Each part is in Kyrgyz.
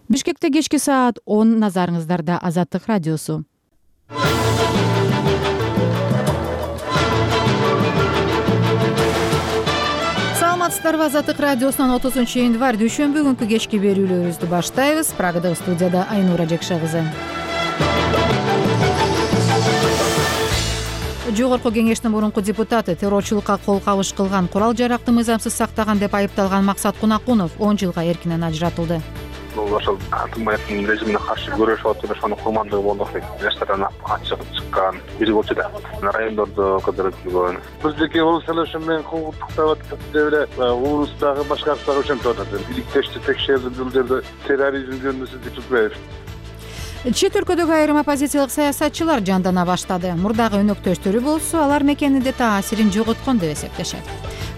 Бишкекте кечки саат 10, назарыңыздарда Азаттык радиосу. Саламатсыздарбы? Азаттык радиосунун 30-январь дүйшөмбү күнкү кечки берүүлөрүбүздү баштайбыз. Прагадагы студияда Айнура Жекше кызы. Жогорку кеңештин мурунку депутаты, террорчулукка кол кабыш кылган, курал жаракты мыйзамсыз сактаган деп айыпталган Максат Кунакунов 10 жылга эркинен ажыратылды. Ошол Атымбаевдин режимине каршы күрөшүп атып, ошонун курмандыгы болдук дейт. Жаштардан ачык чыккан бири болчу да. Райондордо кыдырып жүргөн. Биздики ул селешим менен кулдуктап атып деп эле улустагы башкарууга ошентип атат. Иликтешти текшерди бул жерде терроризм жөнүндө Түкбаев. Чет өлкөдөгү айрым оппозициялык саясатчылар жандана баштады. Мурдагы өнөктөштөрү болсо, алар мекенинде таасирин жоготкон деп эсептешет.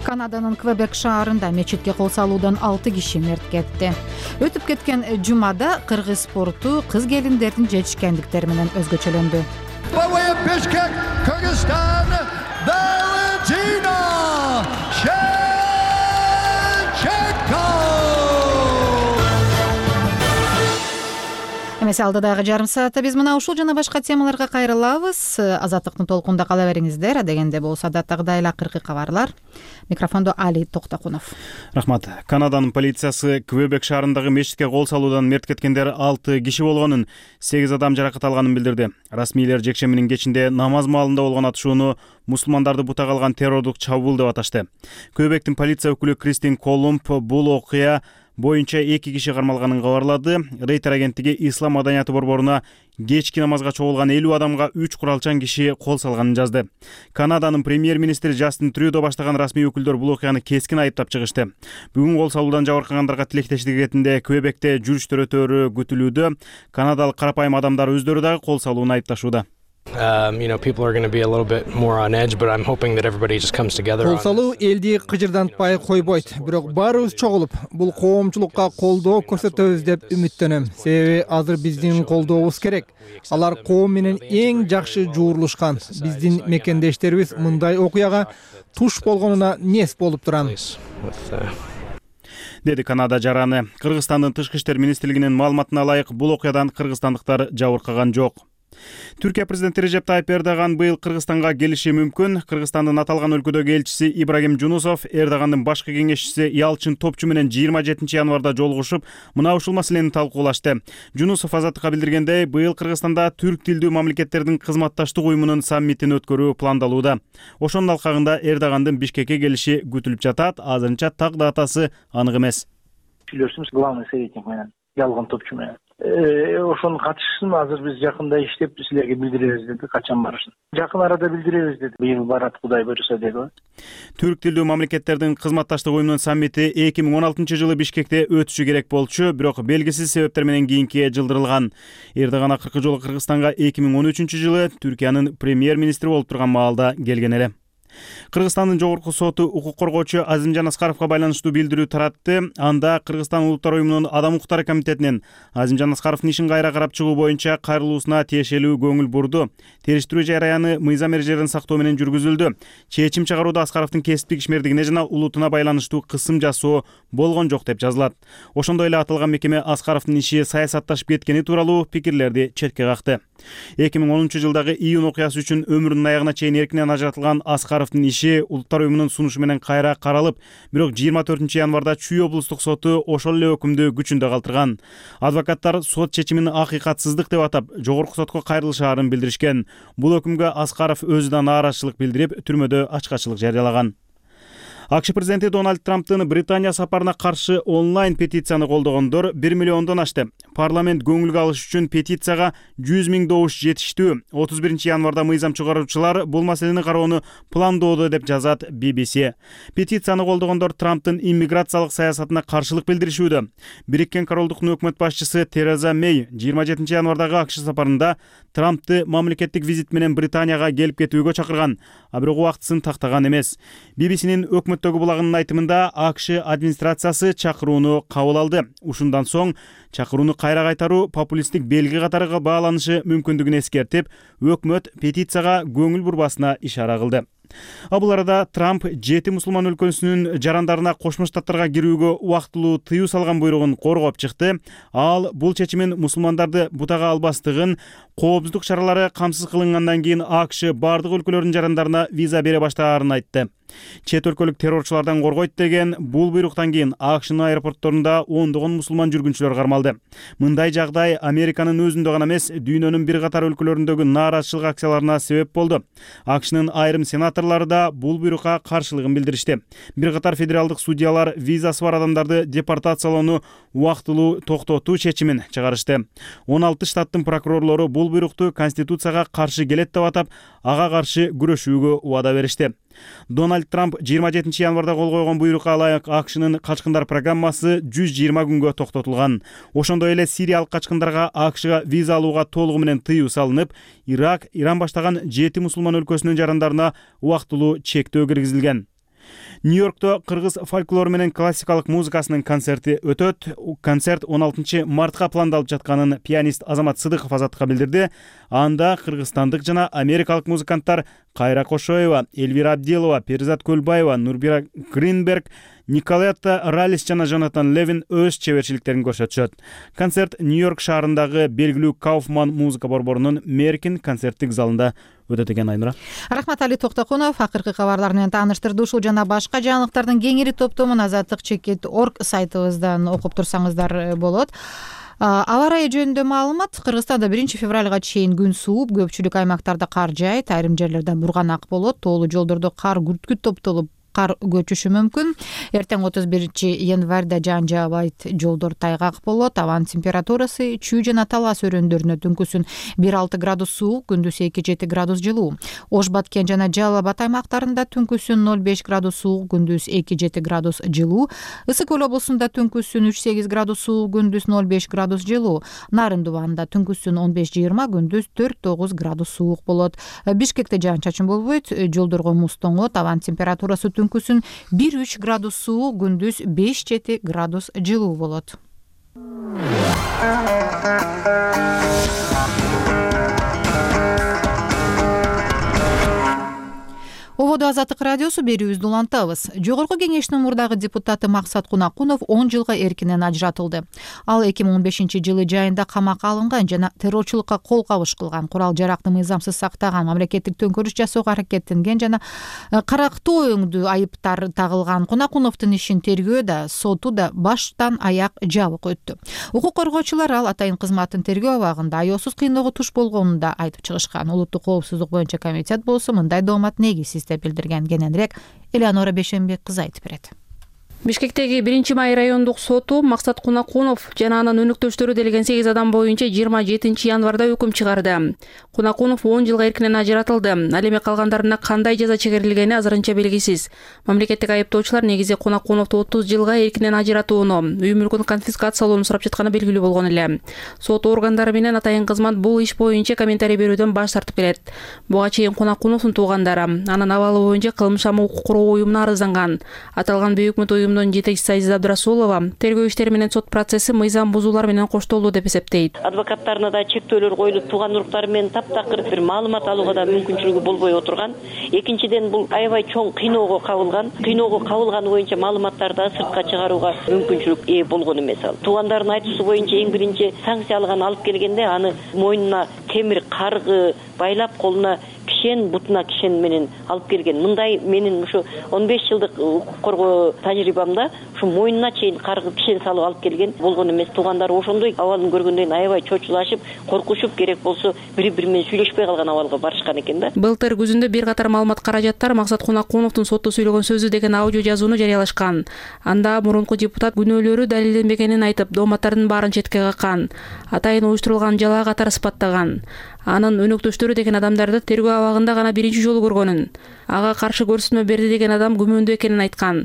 Канаданын Квебек шаарында мечитке кол салуудан 6 киши мерт кетти. Өтүп кеткен жумада кыргыз спорту кыз келиндердин жетишкендиктери менен өзгөчөлөндү. Бишкек, Кыргызстан, Valentina Shevchenko. Эмесе алдыдагы жарым саатта биз мына ушул жана башка темаларга кайрылабыз. Азаттыктын толкунда кала бериңиздер. Адегенде болсо адаттагыдай эле акыркы кабарлар. Микрофондо Али Токтокунов. Рахмат. Канаданын полициясы Квебек шаарындагы мечитке кол салуудан мерт кеткендер 6 киши болгонун, 8 адам жаракат алганын билдирди. Расмийлер жекшембинин кечинде намаз маалында болгон атышууну мусулмандарды бутага алган террордук чабуул деп аташты. Квебектин полиция өкүлү Кристин Колумб бул окуя боюнча 2 киши кармалганын кабарлады. Рейтер агенттиги ислам маданияты борборуна кечки намазга чогулган 50 адамга 3 куралчан киши кол салганын жазды. Канаданын премьер-министри Джастин Трюдо баштаган расмий өкүлдөр бул окуяны кескин айыптап чыгышты. Бүгүн кол салуудан жабыркагандарга тилектештик этинде Квебекте жүрүштөр өтөөрү күтүлүүдө. Канадалык карапайым адамдар өздөрү дагы кол салууну айыпташууда. People are going to be a little bit more on edge, but I'm hoping that everybody just comes together. Кол салуу элди кыжырдантпай койбойт, бирок баарыбыз чогулуп, бул коомчулукка колдоо көрсөтөбүз деп үмүттөнөм. Себеби азыр биздин колдообуз керек. Алар коом менен эң жакшы жуурулушкан. Биздин мекендештерибиз мындай окуяга туш болгонуна нес болуп турам. Деди Канада жараны. Кыргызстандын тышкы иштер министрлигинин маалыматына ылайык, бул окуядан кыргызстандыктар жабыркаган жок. Түркия президенти Режеп Тайып Эрдоган быйыл Кыргызстанга келиши мүмкүн. Кыргызстандын аталган өлкөдөгү элчиси Ибрагим Жунусов Эрдогандын башкы кеңешчиси Ялчин Топчу менен 27-январда жолугушуп, мына ушул маселени талкуулашты. Жунусов Азаттыкка билдиргендей, быйыл Кыргызстанда түрк тилдүү мамлекеттердин кызматташтык уюмунун саммитин өткөрүү пландалууда. Ошонун алкагында Эрдогандын Бишкекке келиши күтүлүп жатат. Азырынча так датасы анык эмес. Сүйлөшүбүз главный советник менен, Ялган Топчу менен. Ошонун катышын азыр биз жакында иштеп силерге билдиребиз деди, качан барышын. Жакын арада билдиребиз деди. Быйыл барат, Кудай буйруса деди. Түрк тилдүү мамлекеттердин кызматташтык уюмунун саммити 2016 жылы Бишкекте өтүшү керек болчу, бирок белгисиз себептер менен кийинкиге жылдырылган. Эрдоган акыркы жолу Кыргызстанга 2013 жылы Түркиянын премьер-министри болуп турган маалда келген эле. Кыргызстандын жогорку соту укук коргоочу Азимжан Аскаровго байланыштуу билдирүү таратты. Анда Кыргызстан Улуттар уюмунун Адам укуктары комитетинен Азимжан Аскаровдун ишин кайра карап чыгуу боюнча кайрылуусуна тиешелүү көңүл бурду. Териштирүү жараяны мыйзам эрежелерин сактоо менен жүргүзүлдү. Чечим чыгарууда Аскаровдун кесиптик ишмердигине жана улутуна байланыштуу кысым жасоо болгон жок деп жазылат. Ошондой эле аталган мекеме Аскаровдун иши саясатташып кеткени тууралуу пикирлерди четке какты. 2010 жылдагы июнь окуясы үчүн өмүрүнүн аягына чейин эркинен ажыратылган Аскаровдун иши Улуттар уюмунун сунушу менен кайра каралып, бирок 24-январда Чүй облустук соту ошол эле өкүмдү күчүндө калтырган. Адвокаттар сот чечимин акыйкатсыздык деп атап, жогорку сотко кайрылышаарын билдиришкен. Бул өкүмгө Аскаров өзү да нааразычылык билдирип, түрмөдө ачкачылык жарыялаган. АКШ президенти Дональд Трамптын Британия сапарына каршы онлайн петицияны колдогондор 1 миллиондон ашты. Парламент көңүлгө алыш үчүн петицияга 100 000 добуш жетиштүү. 31-январда мыйзам чыгаруучулар бул маселени кароону пландоодо деп жазат BBC. Петицияны колдогондор Трамптын иммиграциялык саясатына каршылык билдиришүүдө. Бириккен Королдуктун өкмөт башчысы Тереза Мэй 27-январдагы АКШ сапарында Трампты мамлекеттик визит менен Британияга келип кетүүгө чакырган, а бирок убактысын тактаган эмес. BBC'нин өкмөттөгү булагынын айтымында АКШ администрациясы чакырууну кабыл алды. Ушундан соң чакырууну кайра кайтаруу популисттик белги катары бааланышы мүмкүндүгүн эскертип, өкмөт петицияга көңүл бурбасына ишара кылды. Бул арада Трамп 7 мусулман өлкөсүнүн жарандарына Кошмо Штаттарга кирүүгө убактылуу тыюу салган буйругун коргоп чыкты. Ал бул чечимин мусулмандарды бутага албастыгын, коопсуздук чаралары камсыз кылынгандан кийин АКШ бардык өлкөлөрдүн жарандарына виза бере баштаарын айтты. Чет өлкөлүк террорчулардан коргойт деген бул буйруктан кийин АКШнын аэропортторунда ондогон мусулман жүргүнчүлөр кармалды. Мындай жагдай Американын өзүндө гана эмес, дүйнөнүн бир катар өлкөлөрүндөгү нааразычылык акцияларына себеп болду. АКШнын айрым сенаторлору да бул буйрукка каршылыгын билдиришти. Бир катар федералдык судьялар визасы бар адамдарды депортациялоону убактылуу токтотуу чечимин чыгарышты. 16 штаттын прокурорлору бул буйрукту Конституцияга каршы келет деп атап, ага каршы күрөшүүгө убада беришти. Дональд Трамп 27 январда кол койгон буйрукка ылайык АКШнын качкындар программасы 120 күнгө токтотулган. Ошондой эле сириялык качкындарга АКШга виза алууга толугу менен тыюу салынып, Ирак, Иран баштаган 7 мусулман өлкөсүнүн жарандарына убактылуу чектөө киргизилген. Нью-Йоркто кыргыз фольклору менен классикалык музыкасынын концерти өтөт. Концерт 16 мартка пландалып жатканын пианист Азамат Сыдыков Азаттыкка билдирди. Анда кыргызстандык жана америкалык музыканттар Кайра Кошоева, Эльвира Абдилова, Перизат Көлбаева, Нурбира Гринберг, Николетта Ралис жана Жонатан Левин өз чеберчиликтерин көрсөтүшөт. Концерт Нью-Йорк шаарындагы белгилүү Кауфман музыка борборунун Меркин концерттик залында өтөт экен. Айнура. Рахмат Али Токтокунов акыркы кабарлар менен тааныштырды. Ушул жана башка жаңылыктардын кеңири топтомун azatlyk.org сайтыбыздан окуп турсаңыздар болот. Аба ырайы жөнүндө маалымат. Кыргызстанда 1 февралга чейин күн сууп, көпчүлүк аймактарда кар жаайт, айрым жерлерде бурганак болот, тоолуу жолдордо кар күрткүт топтолуп кар көчүшү мүмкүн. Эртең 31 январда жаан жаабайт, жолдор тайгак болот. Абанын температурасы чүй жана талас өрөөндөрүнө түнкүсүн 1-6 градус суук, күндүз 2-7 градус жылуу. Ош Баткен жана Жалал Абад аймактарында түнкүсүн 0-5 градус суук, күндүз 2-7 градус жылуу. Ысык Көл облусунда түнкүсүн 3-8 градус суук, күндүз 0-5 градус жылуу. Нарын Дубанында түнкүсүн 15-20, күндүз 4-9 градус суук болот. Бишкекте жаан-чачын болбойт, жолдорго муз тоңот. Абанын температурасы түнкүсүн 1-3 градус суук, күндүз 5-7 градус жылуу болот. Ободо Азаттык радиосу берүүбүздү улантабыз. Жогорку кеңештин мурдагы депутаты Максат Кунакунов 10 жылга эркинен ажыратылды. Ал 2015-жылы жайында камакка алынган жана террорчулукка кол кабыш кылган, курал жаракты мыйзамсыз сактаган, мамлекеттик төңкөрүш жасоого аракеттенген жана карактуу оюңдуу айыптар тагылган. Кунакуновдун ишин тергөө да, соту да баштан аяк жабык өттү. Укук коргоочулар ал атайын кызматтын тергөө абагында аяосуз кыйноого туш болгонун да айтып чыгышкан. Улуттук коопсуздук боюнча комитет болсо мындай доомат негизсиз деп билдирген. Кененирээк Элеонора Бешенбек кызы айтып берет. Бишкектеги 1-май райондук соту Максат Кунакунов жана анын өнөктөштөрү делген 8 адам боюнча 27 январда өкүм чыгарды. Кунакунов 10 жылга эркинен ажыратылды. Ал эми калгандарына кандай жаза чегерилгени азырынча белгисиз. Мамлекеттик айыптоочулар негизи Кунакуновду 30 жылга эркинен ажыратууну, үй мүлкүн конфискациялоону сурап жатканы белгилүү болгон эле. Сот органдары менен атайын кызмат бул иш боюнча комментарий берүүдөн баш тартып келет. Буга чейин Кунакуновдун туугандары анын абалы боюнча кылмыш укук коргоо уюмуна арызанган. Аталган бейөкмөт уюмдун жетекчиси Азиза Абдрасулова тергөө иштери менен сот процесси мыйзам бузуулар менен коштолду деп эсептейт. Адвокаттарына да чектөөлөр коюлуп, тууган уруктары менен таптакыр бир маалымат алууга да мүмкүнчүлүгү болбой отурган. Экинчиден бул аябай чоң кыйноого кабылган. Кыйноого кабылганы боюнча маалыматтарды сыртка чыгарууга мүмкүнчүлүк ээ болгон эмес ал. Туугандардын айтуусу боюнча эң биринчи санкциялыгын алып келгенде аны мойнуна темир каргы байлап, колуна кишен, бутуна кишен менен алып келген. Мындай менин ушу 15 жылдык укук коргоо тажрыйбамда ушу мойнуна чейин каргы кишен салып алып келген болгон эмес. Туугандары ошондой абалын көргөндөн аябай чочулашып, коркушуп, керек болсо бири-бири менен сүйлөшпөй калган абалга барышкан экен да. Былтыр күзүндө бир катар маалымат каражаттар Максат Кунакуновдун сотто сүйлөгөн сөзү деген аудио жазууну жарыялашкан. Анда мурунку депутат күнөөлөрү далилденбегенин айтып, дооматтардын баарын четке каккан, атайын уюштурулган жалаа катары сыпаттаган. Анын өнөктөштөрү деген адамдарды тергөө абагында гана биринчи жолу көргөнүн, ага каршы көрсөтмө берди деген адам күмөндүү экенин айткан.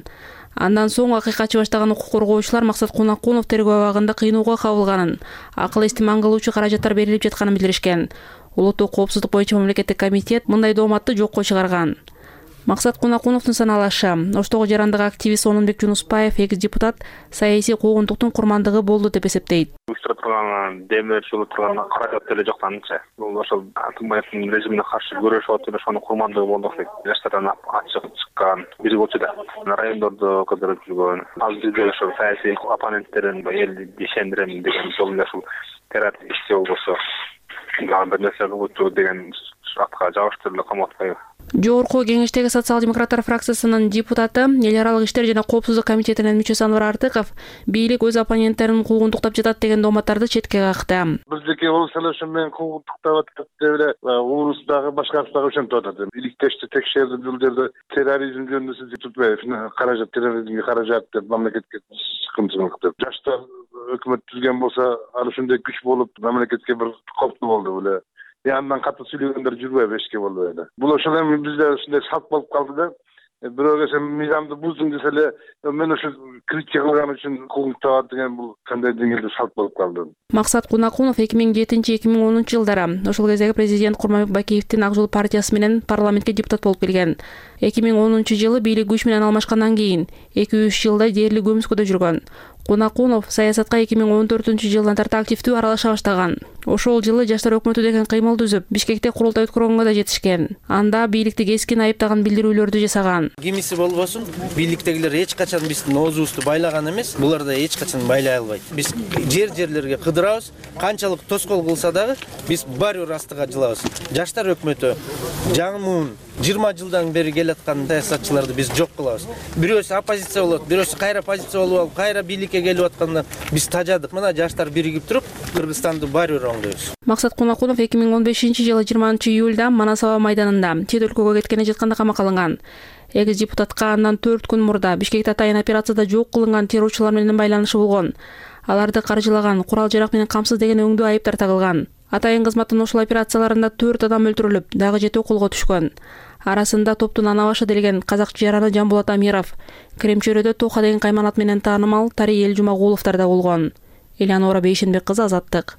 Андан соң акыйкатчы баштаган укук коргоочулар Максат Кунакунов тергөө абагында кыйноого кабылганын, акыл эстиман кылуучу каражаттар берилип жатканын билдиришкен. Улуттук коопсуздук боюнча мамлекеттик комитет мындай дооматты жокко чыгарган. Максат Кунакуновдун саналашы. Оштогу жарандык активист Онунбек Жунуспаев экс депутат саясий куугунтуктун курмандыгы болду деп эсептейт. Уюштура турган демир жолу турган каражат деле жоктанчы. Бул ошол Атымбаевдин режимине каршы күрөшүп отуруп ошонун курмандыгы болдук дейт. Жаштардан ачык чыккан бири болчу да. Райондордо кыдырып жүргөн. Ал бизде ошол саясий оппоненттерин элди ишендирем деген жолунда ушул теракт ишти болбосо бир нерсе кылуу деген атка жабыштырылып камап атпайбы? Жогорку кеңештеги социал-демократтар фракциясынын депутаты, эл аралык иштер жана коопсуздук комитетинин мүчөсү Анвар Артыков бийлик өз оппоненттерин куугунтуктап жатат деген дооматтарды четке какты. Биздики ул селешим менен куугунтуктап атат деп эле улус дагы башкасы дагы ошентип атат. Иликтешти текшерди бул жерде терроризм жөнүндө сиз tutпайбы, каражат терроризмге каражат деп мамлекетке чыкымчылык деп. Жаштар өкмөт түзгөн болсо, ал ушундай күч болуп мамлекетке бир коптуу болду беле. Андан катуу сүйлөгөндөр жүрбөйбү, эчке болбой эле. Бул ошол эми бизде ушундай салт болуп калды да. Бирөөгө сен мыйзамды буздуң десе эле, мен ошо критика кылган үчүн куугунтап деген бул кандай деңгээлде салт болуп калды. Максат Кунакунов 2007-2010 жылдары ошол кездеги президент Курманбек Бакиевдин Ак жол партиясы менен парламентке депутат болуп келген. 2010 жылы бийлик күч менен алмашкандан кийин 2-3 жылдай дээрлик көмүскөдө жүргөн. Кунакунов саясатка 2014 жылдан тарта активдүү аралаша баштаган. Ошол жылы Жаштар өкмөтү деген кыймыл түзүп, Бишкекте курултай өткөргөнгө да жетишкен. Анда бийликти кескин айыптаган билдирүүлөрдү жасаган. Кимиси болбосун, бийликтегилер эч качан биздин оозубузду байлаган эмес, булар да эч качан байлай албайт. Биз жерлерге кыдырабыз, канчалык тоскоол кылса дагы биз баары бир астыга жылабыз. Жаштар өкмөтү жаңымун 20 жылдан бери келаткан саясатчыларды биз жок кылабыз. Бирөөсү оппозиция болот, бирөөсү кайра позиция болуп алып, кайра бийликке келип атканда биз тажадык. Мына жаштар биригип туруп, Кыргызстанды баары бир оңдойбуз. Максат Кунакунов 2015 жылы 20 июлда Манас аба майданында чет өлкөгө кеткени жатканда камакка алынган. Экс депутатка андан 4 күн мурда Бишкекте атайын операцияда жок кылынган террорчулар менен байланышы болгон. Аларды каржылаган, курал жарак менен камсыз деген өңдүү айыптар тагылган. Атайын кызматтын ошол операцияларында 4 адам өлтүрүлүп, дагы 7 колго түшкөн. Арасында топтун ана башы делген казак жараны Жамбулат Амиров, Кремчөрөдө Тоха деген кайманат менен таанымал Тарий Элжумагуловдор да болгон. Элеонора Бейшенбек кызы, Азаттык.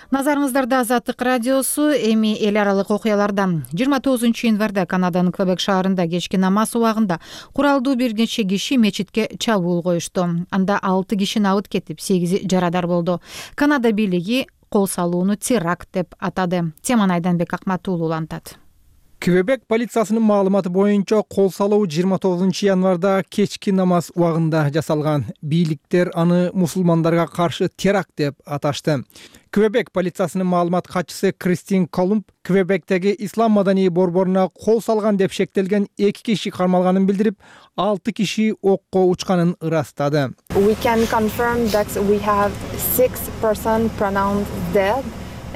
Назарыңыздарда Азаттык радиосу. Эми эл аралык окуялардан 29 январда Канаданын Квебек шаарында кечки намаз убагында куралдуу бир нече киши мечитке чабуул коюшту. Анда 6 киши абыт кетип, 8 жарадар болду. Канада бийлиги кол салууну теракт деп атады. Теманы Айданбек Акматуулу улантат. Квебек полициясынын маалыматы боюнча кол салуу 29 январда кечки намаз убагында жасалган. Бийликтер аны мусулмандарга каршы теракт деп аташты. Квебек полициясынын маалымат катчысы Кристин Колумб Квебектеги ислам маданий борборуна кол салган деп шектелген 2 киши кармалганын билдирип, 6 киши окко учканын ырастады. We can confirm that we have 6 persons pronounced dead.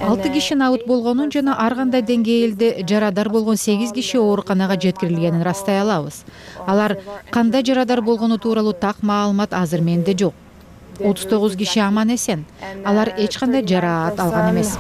6 киши абыт болгонун жана ар кандай деңгээлде жарадар болгон 8 киши ооруканага жеткирилгенин ырастай алабыз. Алар кандай жарадар болгону тууралуу так маалымат азыр менде жок. 39 киши аман эсен. Алар эч кандай жараат алган эмес.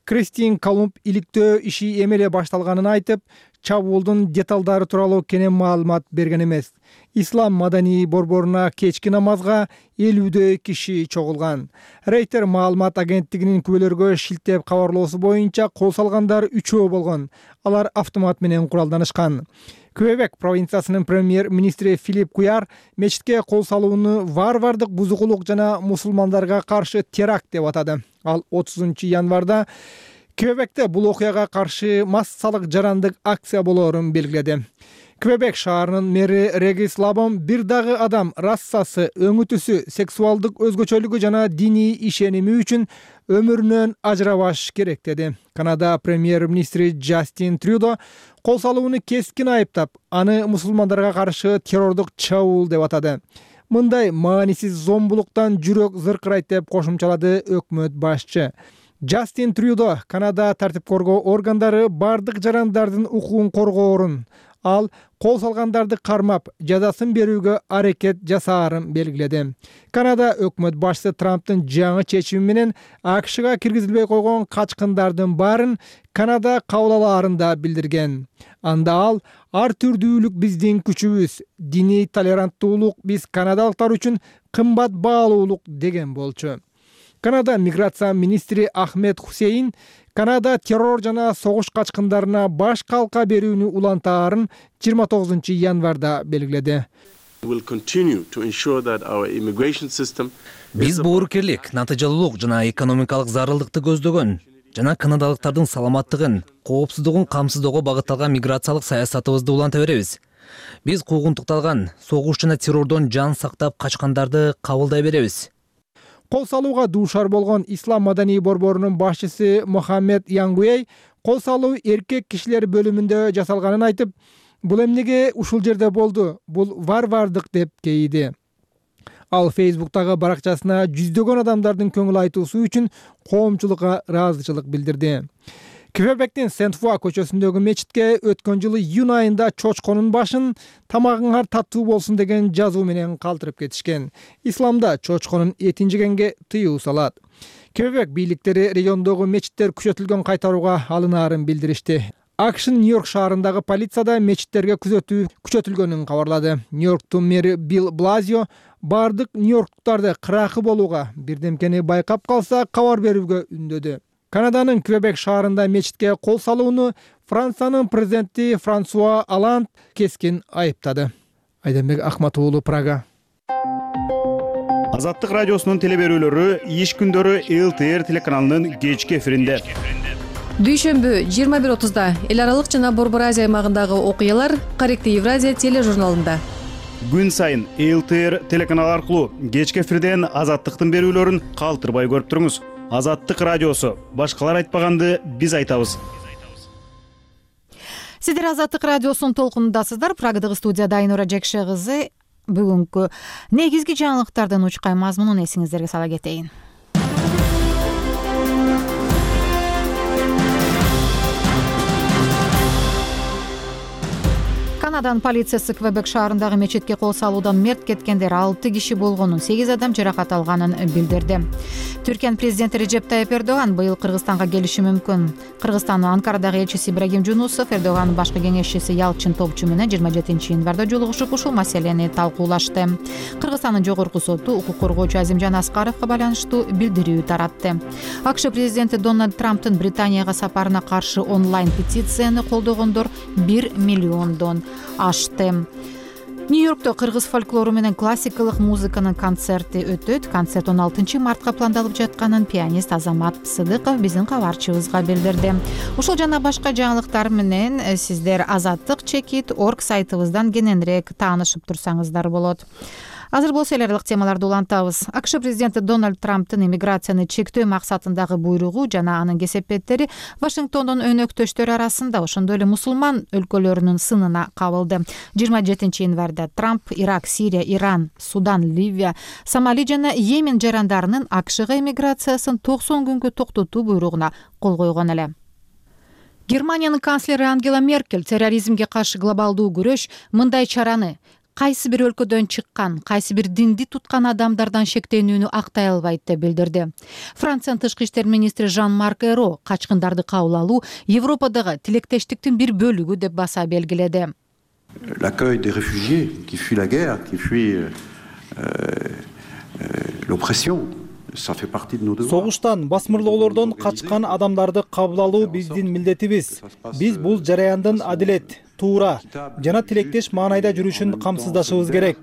Кристин Колумб иликтөө иши эмеле башталганын айтып, чабуулдун деталдары тууралуу кенен маалымат берген эмес. Ислам маданий борборуна кечки намазга 50 киши чогулган. Рейтер маалымат агенттигинин күбөлөргө шилтеп кабарлоосу боюнча кол салгандар 3 болгон. Алар автомат менен куралданышкан. Квебек провинциясынын премьер-министри Филипп Куяр мечитке кол салууну варвардык бузукулук жана мусулмандарга каршы теракт деп атады. Ал 30 январда Квебекте бул окуяга каршы массалык жарандык акция болоорун белгиледи. Квебек шаарынын мэри Регис Лабом бир дагы адам расасы, өңү түсү, сексуалдык өзгөчөлүгү жана диний ишеними үчүн өмүрүнөн ажырабаш керек деди. Канада премьер-министри Джастин Трюдо кол салууну кескин айыптап, аны мусулмандарга каршы террордук чабуул деп атады. Мындай маанисиз зомбулуктан жүрөк зыркырайт деп кошумчалады өкмөт башчы. Джастин Трюдо Канада тартип коргоо органдары бардык жарандардын укугун коргоорун, ал кол салгандарды кармап, жазасын берүүгө аракет жасаарын белгиледи. Канада өкмөт башчысы Трамптын жаңы чечими менен АКШга киргизилбей койгон качкындардын баарын Канада кабыл алаарын да билдирген. Анда ал ар түрдүүлүк биздин күчүбүз, диний толеранттуулук биз канадалыктар үчүн кымбат баалуулук деген болчу. Канада миграция министри Ахмед Хусейн Канада террор жана согуш качкындарына баш калка берүүнү улантаарын 29 январда белгиледи. Биз боорукерлик, натыйжалуулук жана экономикалык зарылдыкты көздөгөн жана канадалыктардын саламаттыгын, коопсуздугун камсыздоого багытталган миграциялык саясатыбызды уланта беребиз. Биз куугунтукталган согуш жана террордон жан сактап качкандарды кабылдай беребиз. Кол салууга дуушар болгон Ислам маданий борборунун башчысы Мохаммед Янгуэй кол салуу эркек кишилер бөлүмүндө жасалганын айтып, бул эмнеге ушул жерде болду? Бул варвардык деп кейиди. Ал Facebook'тагы баракчасына жүздөгөн адамдардын көңүл айтуусу үчүн коомчулукка ыраазычылык билдирди. Квебектин Сент-Фуа көчөсүндөгү мечитке өткөн жылы июнь айында чочконун башын тамагыңар таттуу болсун деген жазуу менен калтырып кетишкен. Исламда чочконун этин жегенге тыюу салат. Квебек бийликтери региондогу мечиттер күчөтүлгөн кайтарууга алынаарын билдиришти. АКШ Нью-Йорк шаарындагы полицияда мечиттерге күзөтүү күчөтүлгөнүн кабарлады. Нью-Йорктун мэри Билл Блазио бардык нью-йорктуктарды кыракы болууга, бирдемкени байкап калса кабар берүүгө үндөдү. Канаданын Квебек шаарында мечитке кол салууну Франциянын президенти Франсуа Олланд кескин айыптады. Айдамбек Ахматуулу, Прага. Азаттык радиосунун телеберүүлөрү иш күндөрү ЛТР телеканалынын кечки эфиринде. Дүйшөмбү 21:30 эл аралык жана Борбор Азия аймагындагы окуялар Корректив Евразия тележурналында. Күн сайын ЛТР телеканалы аркылуу кечки эфирден Азаттыктын берүүлөрүн калтырбай көрүп туруңуз. Азаттык радиосу. Башкалар айтпаганды биз айтабыз. Сиздер Азаттык радиосунун толкунундасыздар. Прагадагы студияда Айнура Жекше кызы. Бүгүнкү негизги жаңылыктардын учкай мазмунун эсиңиздерге сала кетейин. Канаданын полициясы Квебек шаарындагы мечитке кол салуудан мерт кеткендер 6 киши болгонун, 8 адам жаракат алганын билдирди. Түркиянын президенти Режеп Тайип Эрдоган быйыл Кыргызстанга келиши мүмкүн. Кыргызстандын Анкарадагы элчиси Ибрагим Жунусов Эрдогандын башкы кеңешчиси Ялчин Топчу менен 27 январда жолугушуп ушул маселени талкуулашты. Кыргызстандын жогорку соту укук коргоочу Азимжан Аскаровго байланыштуу билдирүү таратты. АКШ президенти Дональд Трамптын Британияга сапарына каршы онлайн петицияны колдогондор 1 миллиондон ашты. Нью-Йоркто кыргыз фольклору менен классикалык музыканын концерти өтөт. Концерт 16 мартка пландалып жатканын пианист Азамат Сыдыков биздин кабарчыбызга билдирди. Ушул жана башка жаңылыктар менен сиздер azattik.org сайтыбыздан кененирээк таанышып турсаңыздар болот. Азыр болсо эл аралык темаларды улантабыз. АКШ президенти Дональд Трамптын иммиграцияны чектөө максатындагы буйругу жана анын кесепеттери Вашингтондун өнөктөштөрү арасында, ошондой эле мусулман өлкөлөрүнүн сынына кабылды. 27 январда Трамп Ирак, Сирия, Иран, Судан, Ливия, Сомали жана Йемен жарандарынын АКШга иммиграциясын 90 күнгө токтотуу буйругуна кол койгон эле. Германиянын канцлери Ангела Меркель терроризмге каршы глобалдуу күрөш мындай чараны кайсы бир өлкөдөн чыккан, кайсы бир динди туткан адамдардан шектенүүнү актай албайт деп билдирди. Франциянын тышкы иштер министри Жан-Марк Эро качкындарды кабыл алуу Европадагы тилектештиктин бир бөлүгү деп баса белгиледи. L'accueil des réfugiés qui fuient la guerre, qui fuient l'oppression. Согуштан, басмырлоолордон качкан адамдарды кабыл алуу биздин милдетибиз. Биз бул жараяндын адилет, туура жана тилектеш маанайда жүрүшүн камсыздашыбыз керек.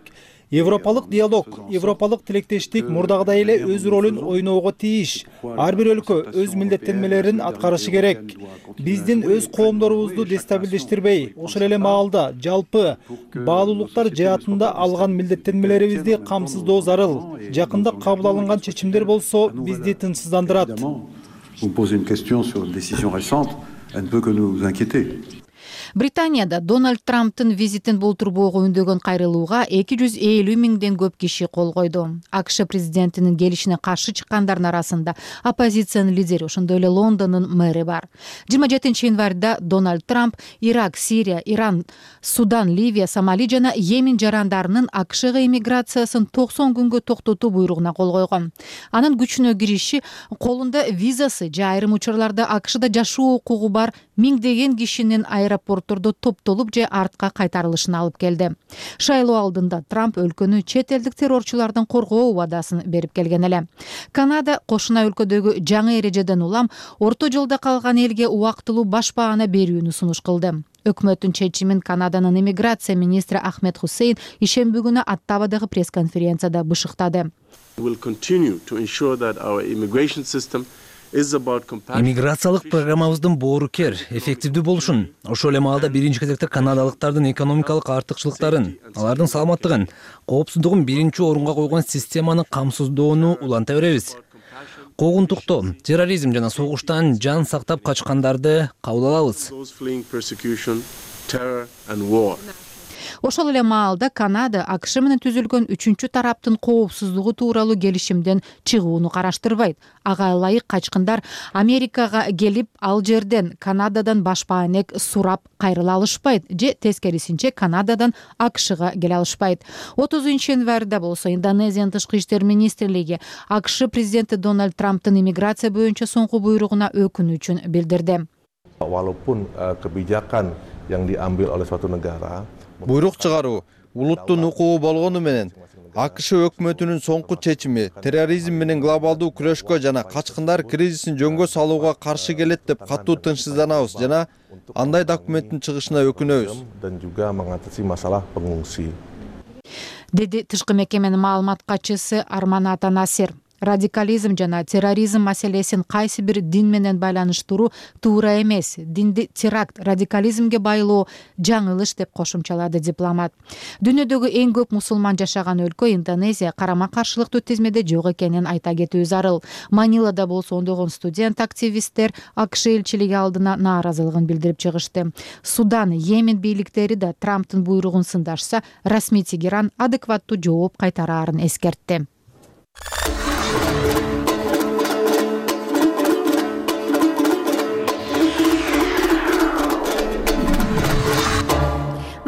Европалык диалог, европалык тилектештик мурдагыдай эле өз ролун ойноого тийиш. Ар бир өлкө өз милдеттенмелерин аткарышы керек. Биздин өз коомдорубузду дестабилдештирбей, ошол эле маалда жалпы баалуулуктар жаатында алган милдеттенмелерибизди камсыздоо зарыл. Жакында кабыл алынган чечимдер болсо бизди тынчсыздандырат. Vous posez une question sur une décision récente, elle ne peut que nous inquiéter. Британияда Дональд Трамптын визитин болтурбоого үндөгөн кайрылууга 250 миңден көп киши кол койду. АКШ президентинин келишине каршы чыккандардын арасында оппозициянын лидери, ошондой эле Лондондун мэри бар. 27 январда Дональд Трамп Ирак, Сирия, Иран, Судан, Ливия, Сомали жана Йемен жарандарынын АКШга иммиграциясын 90 күнгө токтотуу буйругуна кол койгон. Анын күчүнө кириши колунда визасы же айрым учурларда АКШда жашоо укугу бар миңдеген кишинин аэропорт абортторду топтолуп же артка кайтарылышына алып келди. Шайлоо алдында Трамп өлкөнү чет элдик террорчулардан коргоо убадасын берип келген эле. Канада кошуна өлкөдөгү жаңы эрежеден улам орто жолдо калган элге убактылуу башпаана берүүнү сунуш кылды. Өкмөттүн чечимин Канаданын иммиграция министри Ахмед Хусейн ишемби күнү Оттавадагы пресс-конференцияда бышыктады. Иммиграциялык программабыздын боорукер, эффективдүү болушун, ошол эле маалда биринчи кезекте канадалыктардын экономикалык артыкчылыктарын, алардын саламаттыгын, коопсуздугун биринчи орунга койгон системаны камсыздоону уланта беребиз. Куугунтуктоо, терроризм жана согуштан жан сактап качкандарды кабыл алабыз. Ошол эле маалда Канада АКШ менен түзүлгөн 3-чү тараптын коопсуздугу тууралуу келишимден чыгууну караштырбайт. Ага ылайык качкындар Америкага келип, ал жерден Канададан башпаанек сурап кайрыла алышпайт же тескерисинче Канададан АКШга келе алышпайт. 30-январда болсо Индонезиянын тышкы иштер министрлиги АКШ президенти Дональд Трамптын иммиграция боюнча соңку буйругуна өкүнүчүн билдирди. Walaupun kebijakan yang diambil oleh suatu negara буйрук чыгаруу улуттун укугу болгону менен АКШ өкмөтүнүн соңку чечими терроризм менен глобалдуу күрөшкө жана качкындар кризисин жөнгө салууга каршы келет деп катуу тынчсызданабыз жана андай документтин чыгышына өкүнөбүз. Dan juga mengatasi masalah pengungsi. Деди тышкы мекеменин маалымат катчысы Арманата Насир. Радикализм жана терроризм маселесин кайсы бир дин менен байланыштыруу туура эмес. Динди теракт, радикализмге байлоо жаңылыш деп кошумчалады дипломат. Дүйнөдөгү эң көп мусулман жашаган өлкө Индонезия карама-каршылыктуу тизмеде жок экенин айта кетүү зарыл. Манилада болсо ондогон студент активисттер АКШ элчилиги алдына нааразылыгын билдирип чыгышты. Судан, Йемен бийликтери да Трамптын буйругун сындашса, расмий Тегеран адекваттуу жооп кайтараарын эскертти.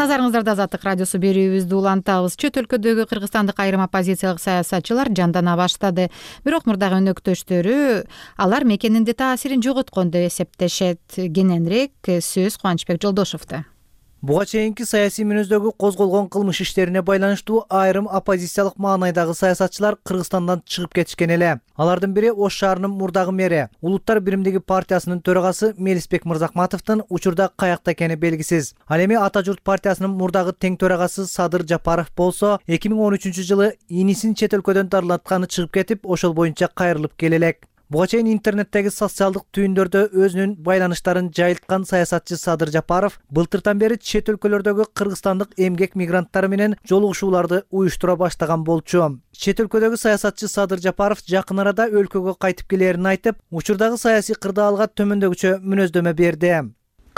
Назарыңыздарда Азаттык радиосу берүүбүздү улантабыз. Чөт өлкөдөгү кыргызстандык айрым оппозициялык саясатчылар жандана баштады. Бирок мурдагы өнөктөштөрү алар мекенинде таасирин жоготкон деп эсептешет. Кененирээк сөз Кубанычбек Жолдошевдо. Буга чейинки саясий мүнөздөгү козголгон кылмыш иштерине байланыштуу айрым оппозициялык маанайдагы саясатчылар Кыргызстандан чыгып кетишкен эле. Алардын бири Ош шаарынын мурдагы мэри, Улуттар биримдиги партиясынын төрагасы Мелисбек Мырзахматовдун учурда каякта экени белгисиз. Ал эми Ата журт партиясынын мурдагы тең төрагасы Садыр Жапаров болсо 2013-жылы инисин чет өлкөдөн дарылатканы чыгып кетип, ошол боюнча кайрылып келе элек. Буга чейин интернеттеги социалдык түйүндөрдө өзүнүн байланыштарын жайылткан саясатчы Садыр Жапаров былтыртан бери чет өлкөлөрдөгү кыргызстандык эмгек мигранттары менен жолугушууларды уюштура баштаган болчу. Чет өлкөдөгү саясатчы Садыр Жапаров жакын арада өлкөгө кайтып келерин айтып, учурдагы саясий кырдаалга төмөндөгүчө мүнөздөмө берди.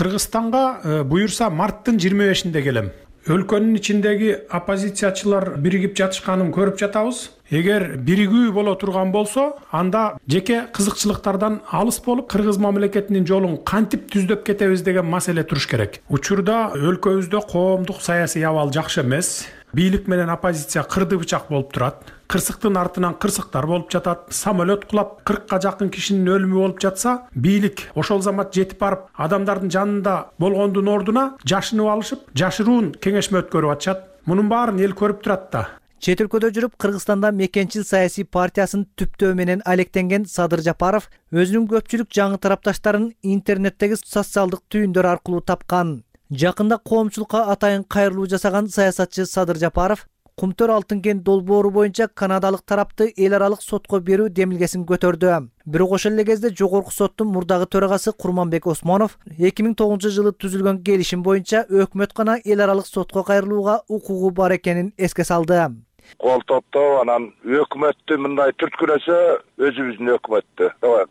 Кыргызстанга буюрса марттын 25-inde келем. Өлкөнүн ичиндеги оппозициячылар биригип жатышканын көрүп жатабыз. Эгер биригүү боло турган болсо, анда жеке кызыкчылыктардан алыс болуп, кыргыз мамлекетинин жолун кантип түздөп кетебиз деген маселе туруш керек. Учурда өлкөбүздө коомдук саясий абал жакшы эмес. Бийлик менен оппозиция кырды бычак болуп турат. Кырсыктын артынан кырсыктар болуп жатат. Самолет кулап 40-ка жакын кишинин өлүмү болуп жатса, бийлик ошол замат жетип барып, адамдардын жанында болгондун ордуна жашынып алышып, жашыруун кеңешме өткөрүп атышат. Мунун баарын эл көрүп турат да. Чет өлкөдө жүрүп Кыргызстанда мекенчил саясий партиясын түптөө менен алектенген Садыр Жапаров өзүнүн көпчүлүк жаңы тарапташтарын интернеттеги социалдык түйүндөр аркылуу тапкан. Жакында коомчулукка атайын кайрылуу жасаган саясатчы Садыр Жапаров Кумтөр алтын кен долбоору боюнча канадалык тарапты эл аралык сотко берүү демилгесин көтөрдү. Бирок ошол эле кезде жогорку соттун мурдагы төрагасы Курманбек Осмонов 2009-жылы түзүлгөн келишим боюнча өкмөт гана эл аралык сотко кайрылууга укугу бар экенин эске салды. Кол топтоп анан өкмөттү мындай түрткүлөсө өзүбүздүн өкмөттү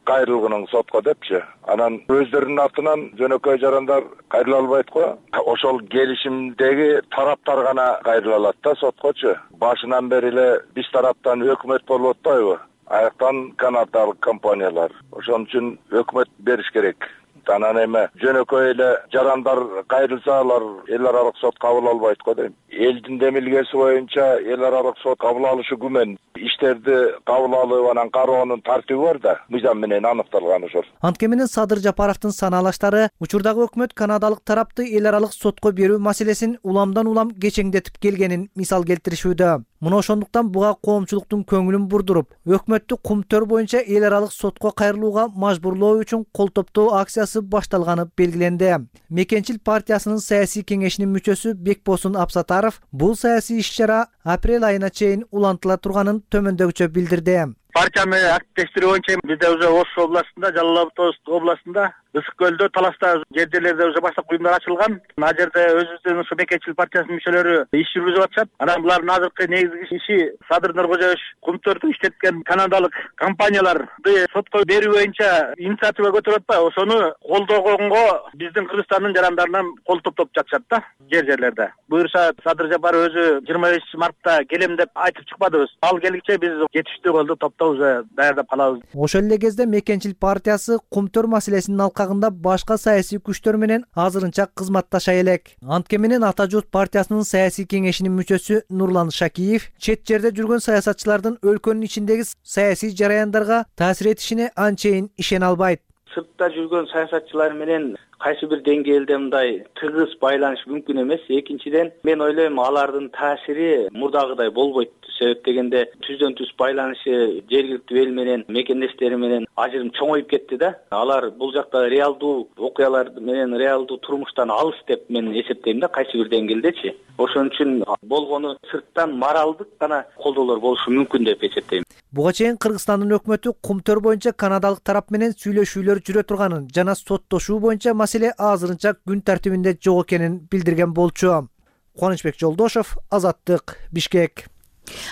кайрылгының сотко депчи. Анан өздөрүнүн атынан жөнөкөй жарандар кайрыла албайт го. Ошол келишимдеги тараптар гана кайрыла алат да соткочу. Башынан бери эле биз тараптан өкмөт болуп атпайбы? Аяктан канадалык компаниялар. Ошон үчүн өкмөт бериш керек. Анан эми жөнөкөй эле жарандар кайрылса алар эл аралык сот кабыл албайт го дейм. Элдин демилгеси боюнча эл аралык сот кабыл алышы күмөн. Иштерди кабыл алып анан кароонун тартиби бар да, мыйзам менен аныкталган ошол. Антке менен Садыр Жапаровдун санаалаштары учурдагы өкмөт канадалык тарапты эл аралык сотко берүү маселесин уламдан улам кечеңдетип келгенин мисал келтиришүүдө. Мына ошондуктан буга коомчулуктун көңүлүн бурдуруп, өкмөттү кумтөр боюнча эл аралык сотко кайрылууга мажбурлоо үчүн кол топтоо акциясы башталганы белгиленди. Мекенчил партиясынын саясий кеңешинин мүчөсү Бекбосун Абсатаров бул саясий иш-чара апрель айына чейин улантыла турганын төмөндөгүчө билдирди. Партия менен активдештирүү боюнча бизде уже Ош областында, Жалал Абад областында, Ысык көлдө, Таласта жерлерде уже баштап уюмдар ачылган. Ал жерде өзүбүздүн ушу Мекенчил партиясынын мүчөлөрү иш жүргүзүп атышат. Анан булардын азыркы негизги иши Садыр Нуркожоевич кумтөрдү иштеткен канадалык компанияларды сотко берүү боюнча инициатива көтөрүп атпайбы? Ошону колдогонго биздин Кыргызстандын жарандарынан кол топтоп жатышат да жерлерде. Буюрса Садыр Жапаров өзү 25 мартта келем деп айтып чыкпадыбыз. Ал келгиче биз жетиштүү колду топтоп уже даярдап калабыз. Ошол эле кезде Мекенчил партиясы кумтөр маселесинин алкагында башка саясий күчтөр менен азырынча кызматташа элек. Антке менен Ата журт партиясынын саясий кеңешинин мүчөсү Нурлан Шакиев чет жерде жүргөн саясатчылардын өлкөнүн ичиндеги саясий жараяндарга таасир этишине анчейин ишене албайт. Сыртта жүргөн саясатчылар менен кайсы бир деңгээлде мындай тыгыз байланыш мүмкүн эмес. Экинчиден, мен ойлойм алардын таасири мурдагыдай болбойт. Себеп дегенде түздөн түз байланышы жергиликтүү эл менен, мекендештери менен ажырым чоңоюп кетти да. Алар бул жакта реалдуу окуялар менен, реалдуу турмуштан алыс деп мен эсептейм да, кайсы бир деңгээлдечи. Ошон үчүн болгону сырттан моралдык гана колдоолор болушу мүмкүн деп эсептейм. Буга чейин Кыргызстандын өкмөтү кумтөр боюнча канадалык тарап менен сүйлөшүүлөр жүрө турганын жана соттошуу боюнча маселе азырынча күн тартибинде жок экенин билдирген болчу. Кубанычбек Жолдошов, Азаттык, Бишкек.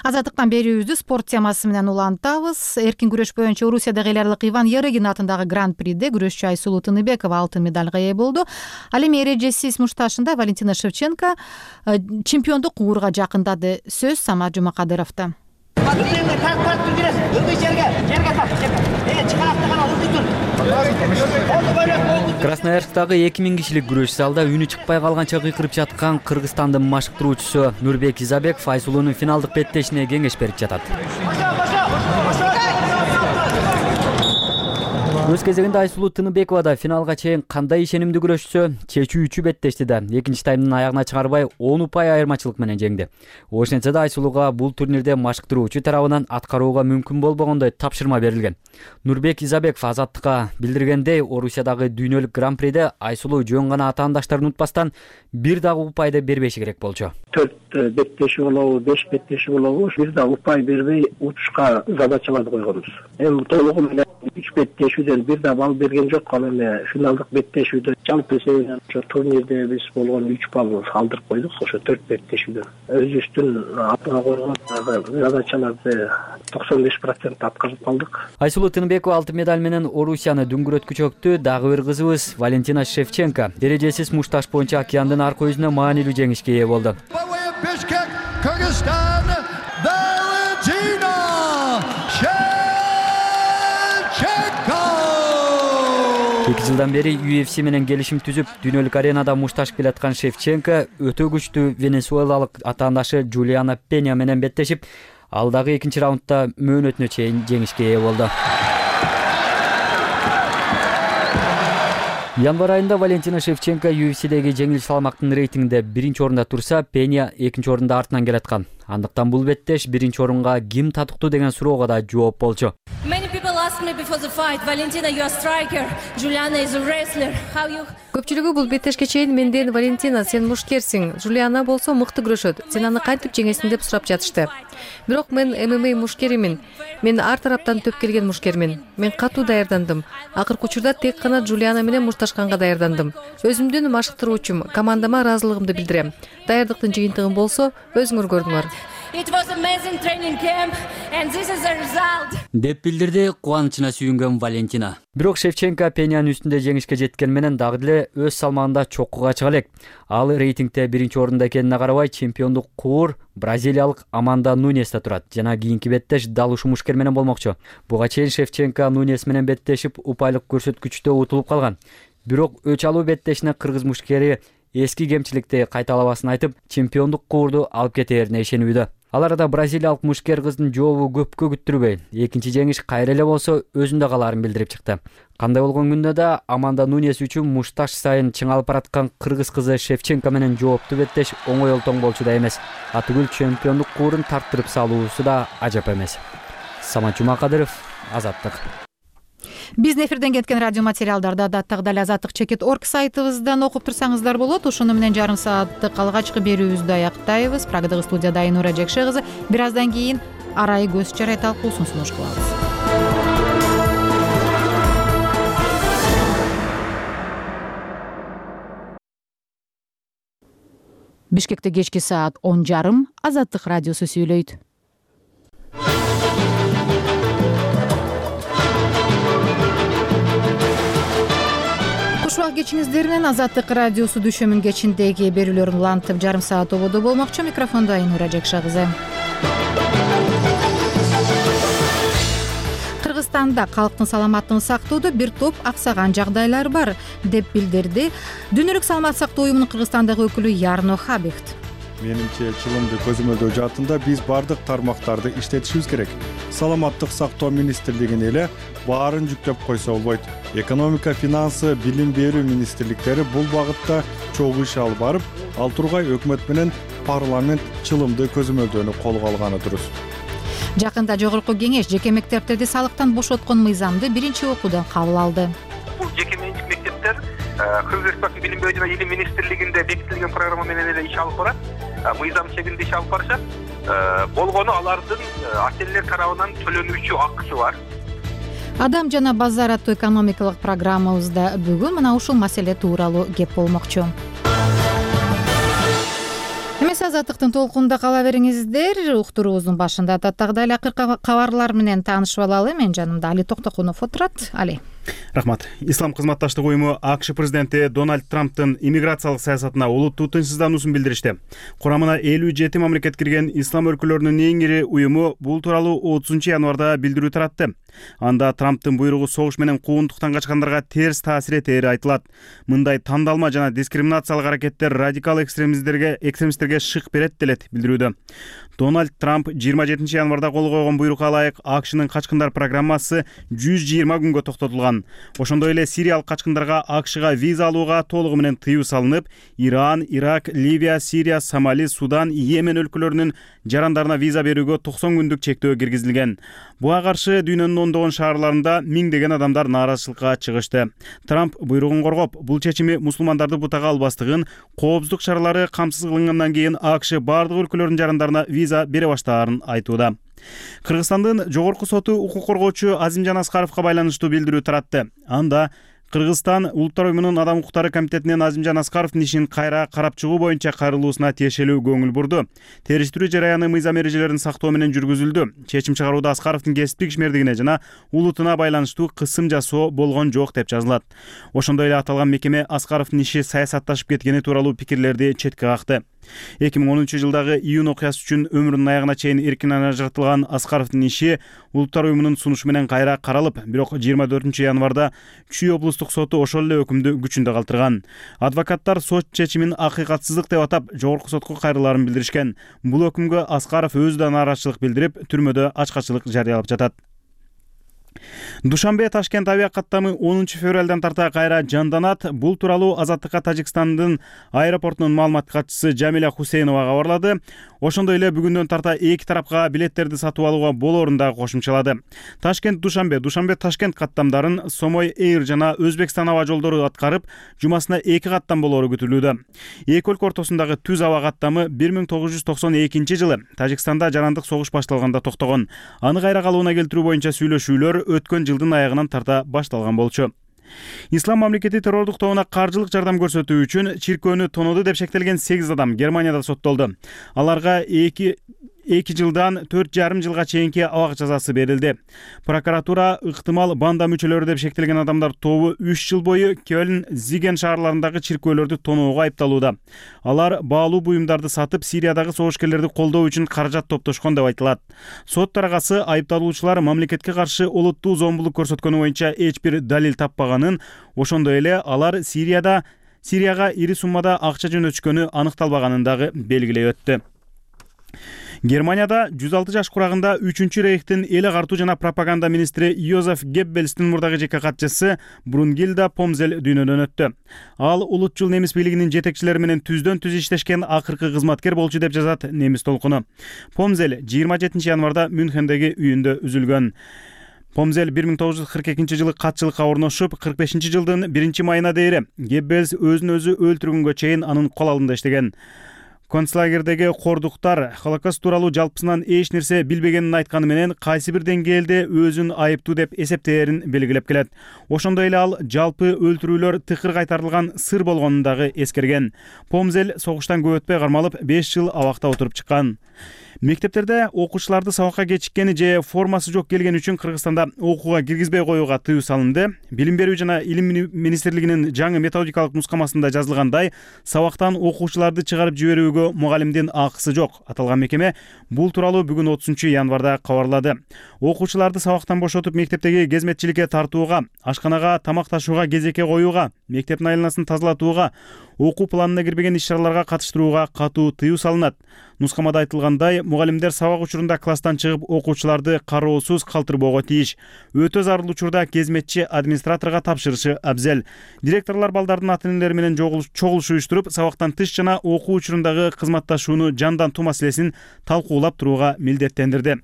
Азаттыктан берүүбүздү спорт темасы менен улантабыз. Эркин күрөш боюнча Орусиядагы эл аралык Иван Ярыгин атындагы Гран-приде күрөшчү Айсулуу Тыныбекова алтын медалга ээ болду. Ал эми эрежесиз мушташында Валентина Шевченко чемпиондук уурга жакындады. Сөз Самат Жумакадыровдо. Красноярсктагы 2000 кишилик күрөш залда үнү чыкпай калганча кыйкырып жаткан Кыргызстандын машыктыруучусу Нурбек Изабеков Айсулуунун финалдык беттешине кеңеш берип жатат. Өз кезегинде Айсулуу Тыныбекова да финалга чейин кандай ишенимдүү күрөшсө, чечүүчү беттешти да экинчи таймдын аягына чыгарбай 10 упай айырмачылык менен жеңди. Ошентсе да Айсулууга бул турнирде машыктыруучу тарабынан аткарууга мүмкүн болбогондой тапшырма берилген. Нурбек Изабеков Азаттыкка билдиргендей, Орусиядагы дүйнөлүк гран-приде Айсулуу жөн гана атаандаштарын унутпастан бир дагы упайды бербеши керек болчу. 4 беттеши болобу, 5 беттеши болобу, бир дагы упай бербей утушка задачаларды койгонбуз. Эми толугу менен 3 беттешүүдөн бир да балл берген жок. Ал эми финалдык беттешүүдө жалпы эсебинен ошо турнирде биз болгон 3 балл калтырып койдук. Ошо 4 беттешүүдөн өзүбүздүн атына койгон задачаларды 95% аткарып калдык. Айсулуу Тыныбекова алтын медаль менен Орусияны дүңгүрөткүчөктү. Дагы бир кызыбыз Валентина Шевченко дережесиз мушташ боюнча океандын аркы өзүнө маанилүү жеңишке ээ болду. Bishkek, Kyrgyzstan, Valentina Shevchenko. 2 жылдан бери UFC менен келишим түзүп, дүйнөлүк аренада мушташ келаткан Шевченко өтө күчтүү венесуэлалык атаандашы Джулиана Пеня менен беттешип, ал дагы экинчи раундда мөөнөтүнө чейин жеңишке ээ болду. Январь айында Валентина Шевченко UFC'деги жеңил салмактын рейтингинде 1-орунда турса, Пеня 2-орунда артынан келаткан. Андыктан бул беттеш 1-орунга ким татыктуу деген суроого да жооп болчу. Көпчүлүгү бул беттешке чейин менден Валентина, сен мушкерсиң, Жулиана болсо мыкты күрөшөт, сен аны кантип жеңесиң деп сурап жатышты. Бирок мен ММА мушкеримин. Мен ар тараптан төп келген мушкермин. Мен катуу даярдандым. Акыркы учурда тек гана Жулиана менен мушташканга даярдандым. Өзүмдүн машыктыруучум, командама ыраазылыгымды билдирем. Даярдыктын жыйынтыгын болсо өзүңөр көрдүңөр. Деп билдирди кубанычына сүйүнгөн Валентина. Бирок Шевченко Пенянын үстүндө жеңишке жеткен менен дагы деле өз салмагында чоккуга чыга элек. Ал рейтингде 1-орунда экенине карабай чемпиондук куур бразилиялык Аманда Нунеста турат. Жана кийинки беттеш дал ушул мушкер менен болмокчу. Буга чейин Шевченко Нунес менен беттешип упайлык көрсөткүчтө утулуп калган. бирок өч алуу беттешине кыргыз мушкери эски кемчиликти кайталабасын айтып, чемпиондук кубурду алып кетээрине ишенүүдө. Ал арада бразилиялык мушкер кыздын жообу көпкө күттүрбөй, экинчи жеңиш кайра эле болсо өзүндө калаарын билдирип чыкты. Кандай болгон күндө да Аманда Нунес үчүн мушташ сайын чыңалып бараткан кыргыз кызы Шевченко менен жоопту беттеш оңой олтоң болчу да эмес. Атүгүл чемпиондук кубурун тарттырып салуусу да ажап эмес. Самат Жумакадыров, Азаттык. Биздин эфирден кеткен радио материалдарды адаттагы эле azattik.org сайтыбыздан окуп турсаңыздар болот. Ошону менен жарым сааттык алгачкы берүүбүздү аяктайбыз. Прагадагы студияда Айнура Жекше кызы. Бир аздан кийин арай көз чарай талкуусун сунуш кылабыз. Бишкекте кечки саат 10:30 Азаттык радиосу сүйлөйт. Кушубак кечиңиздер менен Азаттык радиосу дүшөмүн кечиндеги берүүлөрүн улантып жарым саат ободо болмокчу. Микрофондо Айнура Жекше кызы. Кыргызстанда калктын саламаттыгын сактоодо бир топ аксаган жагдайлар бар, деп билдирди Дүйнөлүк саламат сактоо уюмунун Кыргызстандагы өкүлү Ярно Хабихт. Менимче чылымды көзөмөлдөө жаатында биз бардык тармактарды иштетишибиз керек. Саламаттык сактоо министрлигине эле баарын жүктөп койсо болбойт. Экономика, финансы, билим берүү министрликтери бул багытта чогуу иш алып барып, ал тургай өкмөт менен парламент чылымды көзөмөлдөөнү колго алганы дурус. Жакында жогорку кеңеш жеке мектептерди салыктан бошоткон мыйзамды биринчи окуудан кабыл алды. Бул жеке менчик мектептер Кыргыз Республикасынын билим берүү жана илим министрлигинде бекитилген программа менен эле иш алып барат. Мыйзам чегинде иш алып барышат. Болгону алардын ата-энелер тарабынан төлөнүүчү акысы бар. Адам жана базар аттуу экономикалык программабызда бүгүн мына ушул маселе тууралуу кеп болмокчу. Эмес Азаттыктын толкунда кала бериңиздер. Уктуруубуздун башында адаттагыдай эле акыркы кабарлар менен таанышып алалы. Мен жанымда Али Токтокунов отурат. Али. Рахмат. Ислам кызматташтык уюму АКШ президенти Дональд Трамптын иммиграциялык саясатына олуттуу тынчсыздануусун билдиришти. Курамына 57 мамлекет кирген ислам өлкөлөрүнүн эң ири уюму бул тууралуу 30-январда билдирүү таратты. Анда Трамптын буйругу согуш менен куугунтуктан качкандарга терс таасир этери айтылат. Мындай тандалма жана дискриминациялык аракеттер радикал экстремисттерге шык берет делет билдирүүдө. Дональд Трамп 27 январда кол койгон буйрукка ылайык АКШнын качкындар программасы 120 күнгө токтотулган. Ошондой эле сириялык качкындарга АКШга виза алууга толугу менен тыюу салынып, Иран, Ирак, Ливия, Сирия, Сомали, Судан, Йемен өлкөлөрүнүн жарандарына виза берүүгө 90 күндүк чектөө киргизилген. Буга каршы дүйнөнүн ондогон шаарларында миңдеген адамдар нааразычылыкка чыгышты. Трамп буйругун коргоп, бул чечими мусулмандарды бутага албастыгын, коопсуздук чаралары камсыз кылынгандан кийин АКШ бардык өлкөлөрдүн жарандарына виза бере баштаарын айтууда. Кыргызстандын жогорку соту укук коргоочу Азимжан Аскаровго байланыштуу билдирүү таратты. Анда Кыргызстан Улуттар уюмунун Адам укуктары комитетинен Азимжан Аскаровдун ишин кайра карап чыгуу боюнча кайрылуусуна тиешелүү көңүл бурду. Териштирүү жараяны мыйзам эрежелерин сактоо менен жүргүзүлдү. Чечим чыгарууда Аскаровдун кесиптик ишмердигине жана улутуна байланыштуу кысым жасоо болгон жок деп жазылат. Ошондой эле аталган мекеме Аскаровдун иши саясатташып кеткени тууралуу пикирлерди четке какты. 2010-жылдагы июнь окуясы үчүн өмүрүнүн аягына чейин эркинен ажыратылган Аскаровдун иши Улуттар уюмунун сунушу менен кайра каралып, бирок 24 январда Чүй облустук соту ошол эле өкүмдү күчүндө калтырган. Адвокаттар сот чечимин акыйкатсыздык деп атап, жогорку сотко кайрылаарын билдиришкен. Бул өкүмгө Аскаров өзү да нааразычылык билдирип, түрмөдө ачкачылык жарыялап жатат. Душанбе Ташкент авиа каттамы 10 февралдан тарта кайра жанданат. Бул тууралуу Азаттыкка Тажикстандын аэропортунун маалымат катчысы Жамиля Хусейнова кабарлады. Ошондой эле бүгүндөн тарта эки тарапка билеттерди сатып алууга болоорун да кошумчалады. Ташкент Душанбе, Душанбе Ташкент каттамдарын Сомой Эйр жана Өзбекстан аба жолдору аткарып, жумасына 2 каттам болоору күтүлүүдө. Эки өлкө ортосундагы түз аба каттамы 1992 жылы Тажикстанда жарандык согуш башталганда токтогон. Аны кайра калууна келтирүү боюнча сүйлөшүүлөр өткөн жылдын аягынан тарта башталган болчу. Ислам мамлекети террордук тобуна каржылык жардам көрсөтүү үчүн чиркөөнү тонооду деп шектелген 8 адам Германияда соттолду. Аларга 2 жылдан 4,5 жылга чейинки абак жазасы берилди. Прокуратура ыктымал банда мүчөлөрү деп шектелген адамдар тобу 3 жыл бою Кёльн, Зиген шаарларындагы чиркөөлөрдү тоноого айыпталууда. Алар баалуу буюмдарды сатып, Сириядагы согушкерлерди колдоо үчүн каражат топтошкон деп айтылат. Сот тарагасы айыпталуучулар мамлекетке каршы олуттуу зомбулук көрсөткөнү боюнча эч бир далил таппаганын, ошондой эле алар Сирияга ири суммада акча жөнөтүшкөнү аныкталбаганын дагы белгилей өттү. Германияда 106 жаш курагында 3-чү рейхтин эл агартуу жана пропаганда министри Йозеф Геббельстин мурдагы жеке катчысы Брунгильда Помзель дүйнөдөн өттү. Ал улутчул немис бийлигинин жетекчилери менен түздөн-түз иштешкен акыркы кызматкер болчу деп жазат Немис толкуну. Помзель 27 январда Мюнхендеги үйүндө үзүлгөн. Помзель 1942 жылы катчылыкка орношуп, 45 жылдын 1 майына дейин Геббельс өзүн өзү өлтүргөнгө чейин анын кол алдында иштеген. Концлагердеги кордуктар Холокост тууралуу жалпысынан эч нерсе билбегенин айтканы менен кайсы бир деңгээлде өзүн айыптуу деп эсептээрин белгилеп келет. Ошондой эле ал жалпы өлтүрүүлөр тыкыр кайтарылган сыр болгонун дагы эскерген. Помзель согуштан көп өтпөй кармалып 5 жыл абакта отуруп чыккан. Мектептерде окуучуларды сабакка кечиккени же формасы жок келген үчүн Кыргызстанда окууга киргизбей коюуга тыюу салынды. Билим берүү жана илим министрлигинин жаңы методикалык нускамасында жазылгандай, сабактан окуучуларды чыгарып жиберүүгө мугалимдин акысы жок. Аталган мекеме бул тууралуу бүгүн 30-январда кабарлады. Окуучуларды сабактан бошотуп мектептеги кезметчиликке тартууга, ашканага тамак ташууга кезекке коюуга, мектептин айланасын тазалатууга, окуу планына кирбеген иш-чараларга катыштырууга катуу тыюу салынат. Нускамада айтылгандай, мугалимдер сабак учурунда класстан чыгып окуучуларды кароосуз калтырбоого тийиш. Өтө зарыл учурда кезметчи администраторго тапшырышы абзел. Директорлор балдардын ата-энелери менен чогулуш уюштуруп, сабактан тыш жана окуу учурундагы кызматташууну жандантуу маселесин талкуулап турууга милдеттендирди.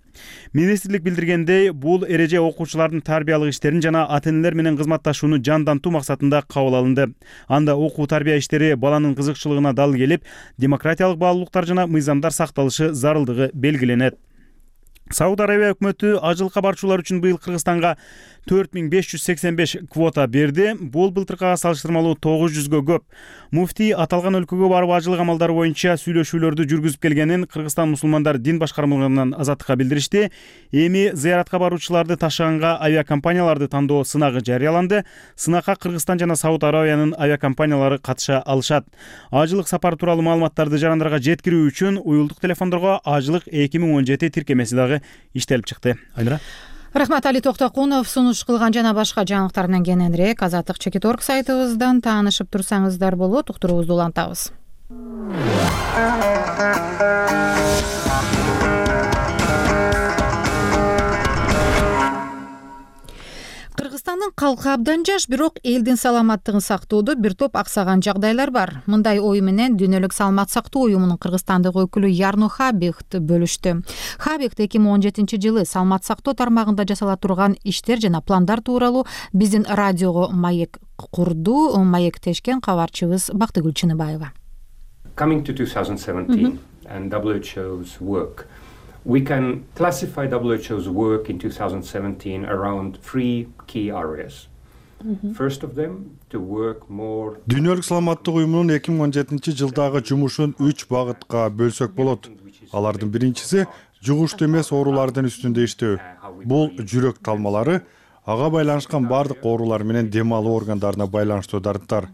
Министрлик билдиргендей, бул эреже окуучулардын тарбиялык иштерин жана ата-энелер менен кызматташууну жандантуу максатында кабыл алынды. Анда окуу тарбия иштери баланын кызыкчылыгына дал келип, демократиялык баалуулуктар жана мыйзамдар сакталышы зарылдыгы белгиленет. Сауд Арабия өкмөтү ажылыкка барчулар үчүн быйыл Кыргызстанга 4585 квота берди. Бул былтыркыга салыштырмалуу 900гө көп. Муфтий аталган өлкөгө барып ажылык амалдары боюнча сүйлөшүүлөрдү жүргүзүп келгенин Кыргызстан мусулмандар дин башкармалыгынан Азаттыкка билдиришти. Эми зыяратка баруучуларды ташыганга авиакомпанияларды тандоо сынагы жарыяланды. Сынакка Кыргызстан жана Сауд Арабиянын авиакомпаниялары катыша алышат. Ажылык сапары тууралуу маалыматтарды жарандарга жеткирүү үчүн уюлдук телефондорго ажылык 2017 тиркемеси дагы иштелип чыкты. Айнура. Рахмат, Али Токтокунов. Сунуш кылган жана башка жаңылыктар менен кененирээк Азаттык.org сайтыбыздан таанышып турсаңыздар болот. Уктуруубузду улантабыз. Кыргызстандын калкы абдан жаш, бирок элдин саламаттыгын сактоодо бир топ аксаган жагдайлар бар. Мындай ой менен Дүйнөлүк саламат сактоо уюмунун Кыргызстандык өкүлү Ярно Хабихт бөлүштү. Хабихт 2017 жылы саламат сактоо тармагында жасала турган иштер жана пландар тууралуу биздин радиого маек курду. Маектешкен кабарчыбыз Бактыгүл Чыныбаева. Coming to 2017 and WHO's work. We can classify WHO's work in 2017 around 3 key areas. First of them, to work more. Дүйнөлүк саламаттык уюмунун 2017 жылдагы жумушун 3 багытка бөлсөк болот. Алардын биринчиси жугуштуу эмес оорулардын үстүндө иштөө. Бул жүрөк талмалары, ага байланышкан бардык оорулар менен дем алуу органдарына байланыштуу дарыктар.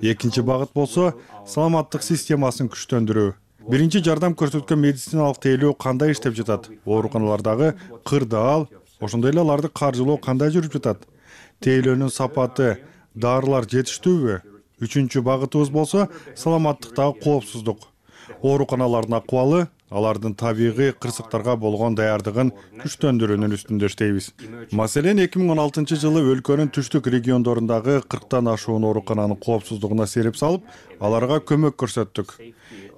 Экинчи багыт болсо саламаттык системасын күчтөндүрүү. Биринчи жардам көрсөткөн медициналык тейлөө кандай иштеп жатат? Ооруканалардагы кырдаал, ошондой эле аларды каржылоо кандай жүрүп жатат? Тейлөөнүн сапаты, дарылар жетиштүүбү? Үчүнчү багытыбыз болсо саламаттыктагы коопсуздук. Ооруканалардын акыбалы, алардын табигый кырсыктарга болгон даярдыгын күчтөндүрүүнүн үстүндө иштейбиз. Маселен, 2016 жылы өлкөнүн түштүк региондорундагы 40тан ашуун оорукананын коопсуздугуна сереп салып, аларга көмөк көрсөттүк.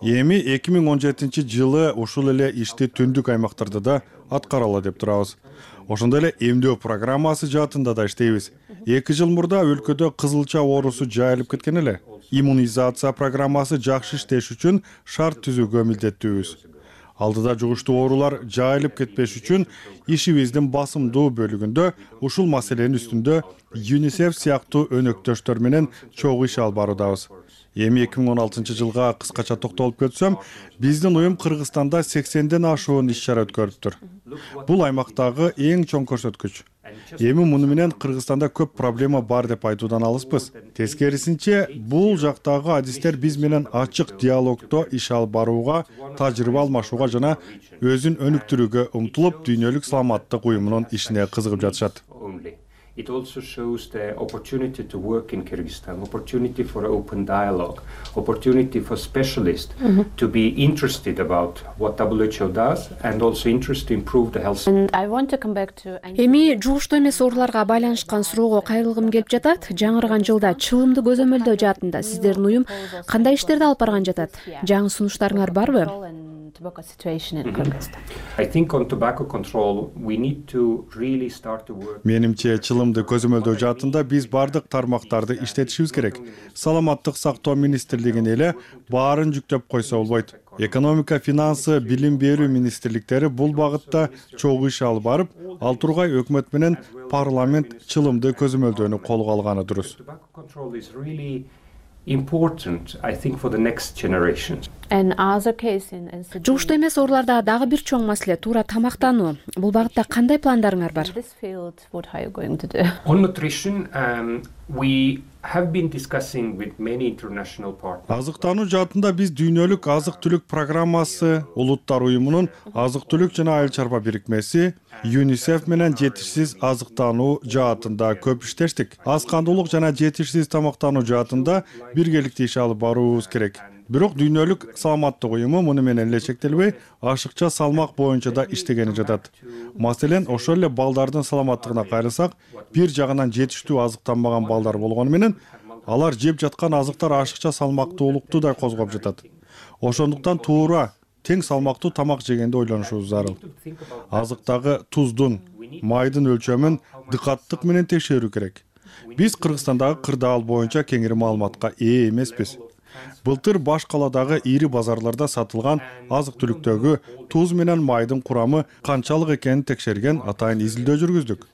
Эми 2017 жылы ушул эле ишти түндүк аймактарда да аткаралы деп турабыз. Ошондой эле эмдөө программасы жаатында да иштейбиз. 2 жыл мурда өлкөдө кызылча оорусу жайылып кеткен эле. Иммунизация программасы жакшы иштеш үчүн шарт түзүүгө милдеттүүбүз. Алдыда жугуштуу оорулар жайылып кетпеш үчүн ишибиздин басымдуу бөлүгүндө ушул маселенин үстүндө ЮНИСЕФ сыяктуу өнөктөштөр менен чогуу иш алып баруудабыз. Эми 2016 жылга кыскача токтолуп кетсөм, биздин уюм Кыргызстанда 80ден ашуун иш-чара өткөрүптүр. Бул аймактагы эң чоң көрсөткүч. Эми муну менен Кыргызстанда көп проблема бар деп айтуудан алыспыз. Тескерисинче, бул жактагы адистер биз менен ачык диалогдо иш алып барууга, тажрыйба алмашууга жана өзүн өнүктүрүүгө умтулуп, дүйнөлүк саламаттык уюмунун ишине кызыгып жатышат. It also shows the opportunity to work in Kyrgyzstan, opportunity for open dialogue, opportunity for specialists to be interested about what WHO does and also interested to improve the health. Эми жугуштуу эмес ооруларга байланышкан суроого кайрылгым келип жатат. Жаңырган жылда чылымды көзөмөлдөө жаатында сиздердин уюм кандай иштерди алып барган жатат? Жаңы сунуштарыңар барбы? I think on tobacco control we need to really start to work. Менимче, чылымды көзөмөлдөө жаатында биз бардык тармактарды иштетишибиз керек. Саламаттык сактоо министрлигине эле баарын жүктөп койсо болбойт. Экономика, финансы, билим берүү министрликтери бул багытта чогуу иш алып барып, ал тургай өкмөт менен парламент чылымды көзөмөлдөөнү колго алганы дурус. Important, I think, for the next generations. Жугуштуу эмес ооруларда дагы бир чоң маселе туура тамактануу. Бул багытта кандай пландарыңар бар? On nutrition, we have been discussing with many international partners. Азыктануу жаатында биз дүйнөлүк азык-түлүк программасы, улуттар уюмунун азык-түлүк жана айыл чарба бирикмеси, ЮНИСЕФ менен жетишсиз азыктануу жаатында көп иштештик. Аз кандуулук жана жетишсиз тамактануу жаатында биргеликте иш алып баруубуз керек. Бирок дүйнөлүк саламаттык уюму муну менен эле чектелбей, ашыкча салмак боюнча да иштегени жатат. Маселен, ошол эле балдардын саламаттыгына кайрылсак, бир жагынан жетиштүү азыктанбаган балдар болгону менен алар жеп жаткан азыктар ашыкча салмактуулукту да козгоп жатат. Ошондуктан туура тең салмактуу тамак жегенде ойлонушубуз зарыл. Азыктагы туздун, майдын өлчөмүн дыкаттык менен текшерүү керек. Биз Кыргызстандагы кырдаал боюнча кеңири маалыматка ээ эмеспиз. Былтыр баш каладагы ири базарларда сатылган азык-түлүктөгү туз менен майдын курамы канчалык экенин текшерген атайын изилдөө жүргүздүк.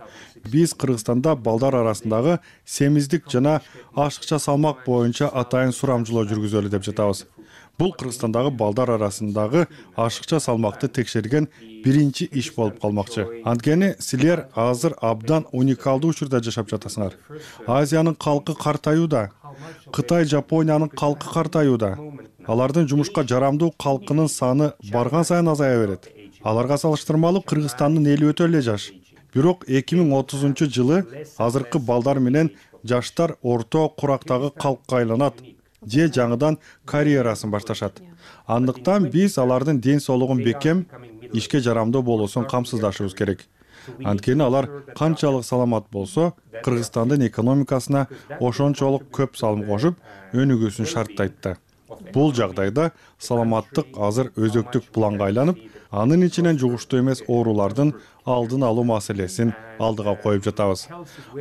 Биз Кыргызстанда балдар арасындагы семиздик жана ашыкча салмак боюнча атайын сурамжылоо жүргүзөлү деп жатабыз. Бул Кыргызстандагы балдар арасындагы ашыкча салмакты текшерген биринчи иш болуп калмакчы. Анткени силер азыр абдан уникалдуу учурда жашап жатасыңар. Азиянын калкы картаюуда, Кытай, Жапониянын калкы картаюуда. Алардын жумушка жарамдуу калкынын саны барган сайын азая берет. Аларга салыштырмалуу Кыргызстандын эли өтө эле жаш. Бирок 2030 жылы азыркы балдар менен жаштар орто курактагы калкка айланат же жаңыдан карьерасын башташат. Андыктан биз алардын ден соолугун бекем, ишке жарамдуу болуусун камсыздашыбыз керек. Анткени алар канчалык саламат болсо, Кыргызстандын экономикасына ошончолук көп салым кошуп, өнүгүүсүн шарттайт да. Бул жагдайда саламаттык азыр өзөктүк планга айланып, анын ичинен жугуштуу эмес оорулардын алдын алуу маселесин алдыга коюп жатабыз.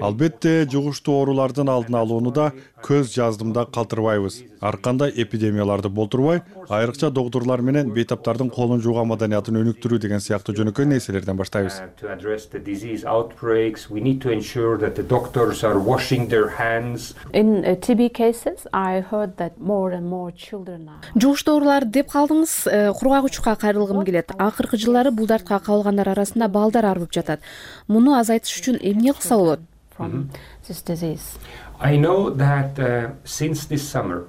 Албетте, жугуштуу оорулардын алдын алууну да көз жаздымда калтырбайбыз. Ар кандай эпидемияларды болтурбай, айрыкча доктурлар менен бейтаптардын колун жууган маданиятын өнүктүрүү деген сыяктуу жөнөкөй нерселерден баштайбыз. To address the disease outbreaks, we need to ensure that the doctors are washing their hands. In TB cases, I heard that more and more children are. Жугуштуу оорулар деп калдыңыз, кургагучка кайрылгым келет. Акыркы жылдары бул дартка кабылгандар арасында балдар арып жатат. Муну азайтыш үчүн эмне кылса болот? I know that since this summer,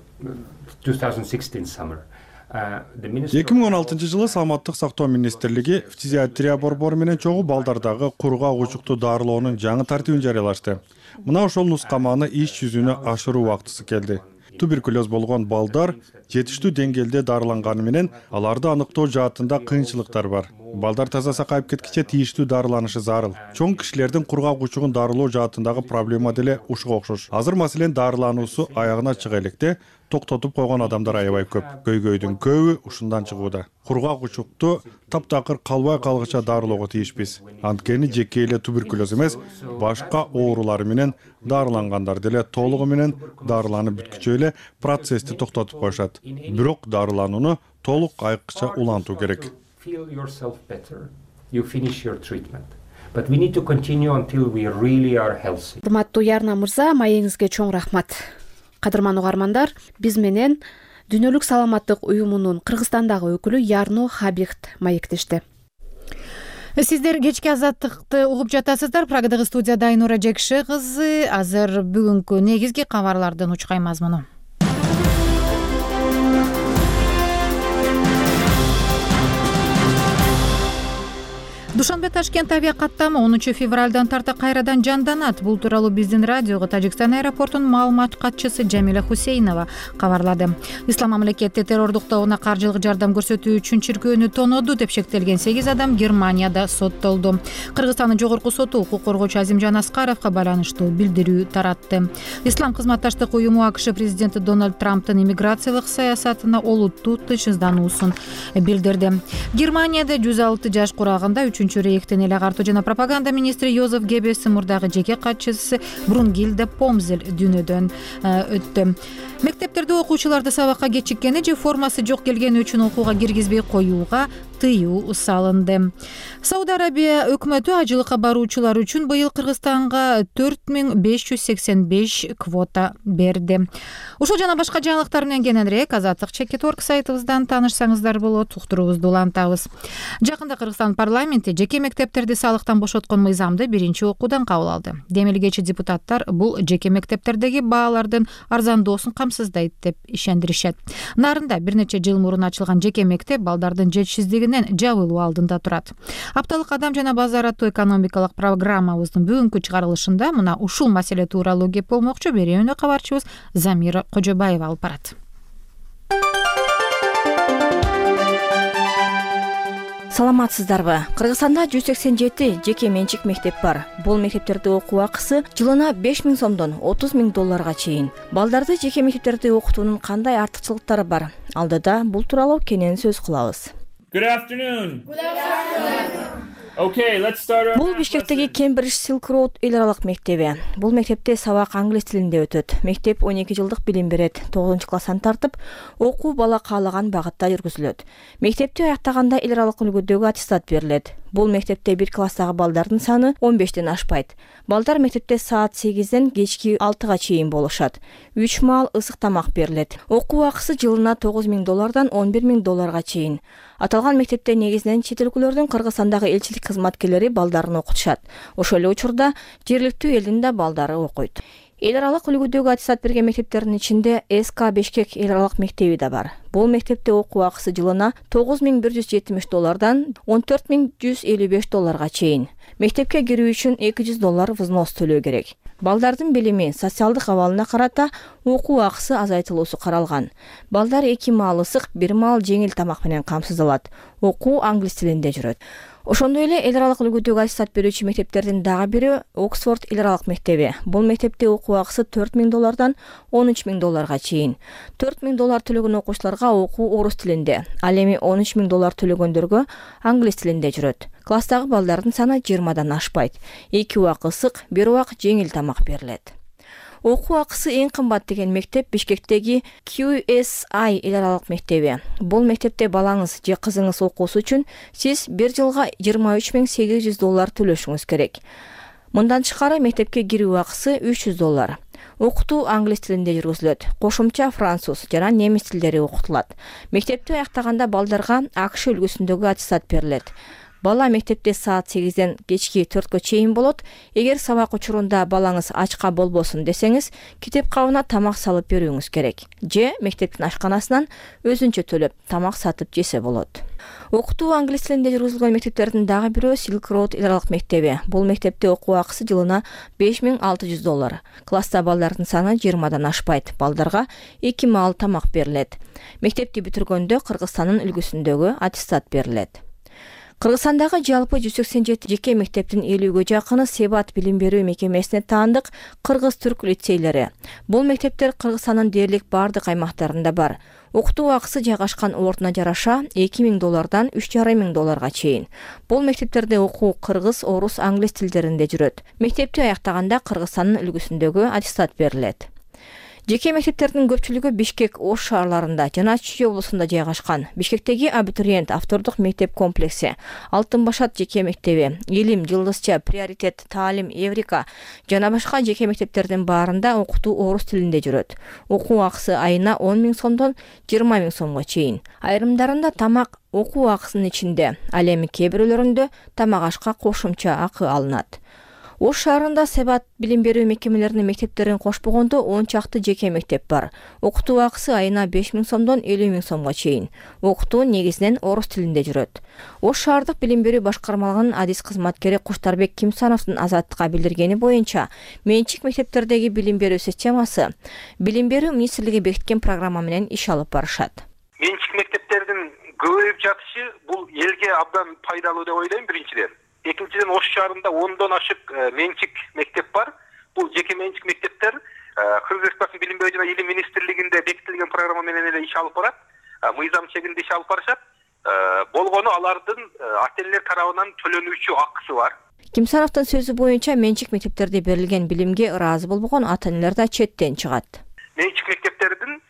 2016 summer, 2016 жылы Саламаттык сактоо министрлиги фтизиатрия борбору менен чогуу балдардагы кургак-учукту дарылоонун жаңы тартибин жарыялашты. Мына ошол нускаманы иш жүзүнө ашыруу убактысы келди. Туберкулез болгон балдар жетиштүү деңгээлде дарыланганы менен аларды аныктоо жаатында кыйынчылыктар бар. Балдар таза сакайып кеткиче тийиштүү дарыланышы зарыл. Чоң кишилердин кургак учугун дарылоо жаатындагы проблема деле ушуга окшош. Азыр маселен дарылануусу аягына чыга электе токтотуп койгон адамдар аябай көп. Көйгөйдүн көбү ушундан чыгууда. Кургак учукту таптакыр калбай калгыча дарылоого тийишпиз. Анткени жеке эле туберкулез эмес, башка оорулар менен дарылангандар деле толугу менен дарыланып бүткүчө эле процессти токтотуп коюшат. Бирок дарыланууну толук айыкча улантуу керек. Feel yourself better, you finish your treatment. But we need to continue until we really are healthy. Урматтуу Ярна мырза, маегиңизге чоң рахмат. Кадырман угармандар, биз менен Дүйнөлүк саламаттык уюмунун Кыргызстандагы өкүлү Ярно Хабихт маектешти. Сиздер кечки азаттыкты угуп жатасыздар. Прагадагы студияда Айнура Жекши кызы. Азыр бүгүнкү негизги кабарлардын учкай мазмуну. Душанбе Ташкент авиакаттамы 10 февралдан тарта кайрадан жанданат. Бул тууралуу биздин радиого Тажикстан аэропортунун маалымат катчысы Жамиля Хусейнова кабарлады. Ислам мамлекети террордуктоогуна каржылык жардам көрсөтүү үчүн чиркөөнү тоноду деп шектелген 8 адам Германияда соттолду. Кыргызстандын жогорку соту укук коргоочу Азимжан Аскаровго байланыштуу билдирүү таратты. Ислам кызматташтык уюму АКШ президенти Дональд Трамптын иммиграциялык саясатына олуттуу тынчсыздануусун билдирди. Германияда 106 жаш курагында рейхтен эле агартуу жана пропаганда министри Йозеф Геббельстин мурдагы жеке катчысы Брунгильда Помзель дүйнөдөн өттү. Мектептерде окуучуларды сабакка кечиккени же формасы жок келгени үчүн окууга киргизбей коюуга тыюу салынды. Сауд Арабия өкмөтү ажылыкка баруучулар үчүн быйыл Кыргызстанга 4585 квота берди. Ушул жана башка жаңылыктар менен кененирээк Азаттык Чекит.org сайтыбыздан таанышсаңыздар болот. Уктуруубузду улантабыз. Жакында Кыргызстан парламенти жеке мектептерди салыктан бошоткон мыйзамды биринчи окуудан кабыл алды. Демилгечи депутаттар бул жеке мектептердеги баалардын арзандоосун камсыздайт деп ишендиришет. Нарында бир нече жыл мурун ачылган жеке мектеп балдардын жетишсиздигинен жабылуу алдында турат. Апталык адам жана базар аттуу экономикалык программабыздын бүгүнкү чыгарылышында мына ушул маселе тууралуу кеп болмокчу. Берүүнү кабарчыбыз Замира Кожобаева алып барат. Саламатсыздарбы? Кыргызстанда 187 жеке менчик мектеп бар. Бул мектептерде окуу акысы жылына 5000 сомдон 30 000 долларга чейин. Балдарды жеке мектептерде окутуунун кандай артыкчылыктары бар? Алдыда бул тууралуу кенен сөз кылабыз. Good afternoon. Good afternoon. Okay, let's start. Бул Бишкектеги Кембридж Silk Road эл аралык мектеби. Бул мектепте сабак англис тилинде өтөт. Мектеп 12 жылдык билим берет. 9-класстан тартып, окуу бала каалаган багытта жүргүзүлөт. Мектепти аяктаганда эл аралык үлгүдөгү аттестат берилет. Бул мектепте 1 класстагы балдардын саны 15ден ашпайт. Балдар мектепте саат 8ден кечки 6га чейин болушат. 3 маал ысык тамак берилет. Окуу акысы жылына 9 000 доллардан 11 000 долларга чейин. Аталган мектепте негизинен чет өлкөлөрдүн Кыргызстандагы элчилик кызматкерлери балдарын окутушат. Ошол эле учурда жергиликтүү элдин да балдары окуйт. Эл аралык үлгүдөгү аттестат берген мектептердин ичинде СК Бишкек эл аралык мектеби да бар. Бул мектепте окуу акысы жылына 9170 доллардан 14155 долларга чейин. Мектепке кирүү үчүн 200 доллар взнос төлөө керек. Балдардын билими, социалдык абалына карата окуу акысы азайтылуусу каралган. Балдар 2 маал ысык, 1 маал жеңил тамак менен камсыздалат. Окуу англис тилинде жүрөт. Ошондой эле эл аралык үлгүдөгү аттестат берүүчү мектептердин дагы бири Оксфорд эл аралык мектеби. Бул мектепте окуу акысы 4 000 доллардан 13 000 долларга чейин. 4 000 доллар төлөгөн окуучуларга окуу орус тилинде, ал эми 13 000 доллар төлөгөндөргө англис тилинде жүрөт. Класстагы балдардын саны 20дан ашпайт. 2 убак ысык, 1 убак жеңил тамак берилет. Окуу акысы эң кымбат деген мектеп Бишкектеги QSI эл аралык мектеби. Бул мектепте балаңыз же кызыңыз окуусу үчүн сиз 1 жылга 23 800 доллар төлөшүңүз керек. Мындан тышкары мектепке кирүү акысы 300 доллар. Окутуу англис тилинде жүргүзүлөт. Кошумча француз жана немис тилдери окутулат. Мектепти аяктаганда балдарга АКШ үлгүсүндөгү аттестат берилет. Бала мектепте саат 8ден кечки 4гө чейин болот. Эгер сабак учурунда балаңыз ачка болбосун десеңиз, китеп кабына тамак салып берүүңүз керек. Же мектептин ашканасынан өзүнчө төлөп тамак сатып жесе болот. Окутуу англис тилинде жүргүзүлгөн мектептердин дагы бирөө Silk Road эл аралык мектеби. Бул мектепте окуу акысы жылына 5600 доллар. Класста балдардын саны 20дан ашпайт. Балдарга 2 маал тамак берилет. Мектепти бүтүргөндө Кыргызстандын үлгүсүндөгү аттестат берилет. Кыргызстандагы жалпы 187 жеке мектептин 50ге жакыны Себат билим берүү мекемесине таандык кыргыз-түрк лицейлери. Бул мектептер Кыргызстандын дээрлик бардык аймактарында бар. Окутуу акысы жайгашкан ордуна жараша 2000 доллардан 3500 долларга чейин. Бул мектептерде окуу кыргыз, орус, англис тилдеринде жүрөт. Мектепти аяктаганда Кыргызстандын үлгүсүндөгү аттестат берилет. Жеке мектептердин көпчүлүгү Бишкек, Ош шаарларында жана Чүй облусунда жайгашкан. Бишкектеги абитуриент автордук мектеп комплекси, Алтын Башат жеке мектеби, Илим, Жылдызча, Приоритет, Таалим, Эврика жана башка жеке мектептердин баарында окутуу орус тилинде жүрөт. Окуу акысы айына 10 000 сомдон 20 000 сомго чейин. Айрымдарында тамак окуу акысынын ичинде, ал эми кээ бирөөлөрүндө тамак ашка кошумча акы алынат. Ош шаарында Себат билим берүү мекемелеринин мектептерин кошпогондо 10 чакты жеке мектеп бар. Окутуу акысы айына 5 000 сомдон 50 000 сомго чейин. Окутуу негизинен орус тилинде жүрөт. Ош шаардык билим берүү башкармалыгынын адис кызматкери Куштарбек Кимсановдун Азаттыкка билдиргени боюнча, менчик мектептердеги билим берүү системасы билим берүү министрлиги бекиткен программа менен иш алып барышат. Менчик мектептердин көбөйүп жатышы бул элге абдан пайдалуу деп ойлойм биринчиден. Экинчиден, Ош шаарында 10дон ашык менчик мектеп бар. Бул жеке менчик мектептер Кыргыз Республикасынын билим берүү жана илим министрлигинде бекитилген программа менен эле иш алып барат. Мыйзам чегинде иш алып барышат. Болгону алардын ата-энелер тарабынан төлөнүүчү акысы бар. Кимсановдун сөзү боюнча менчик мектептерде берилген билимге ыраазы болбогон ата-энелер да четтен чыгат. Менчик мектептердин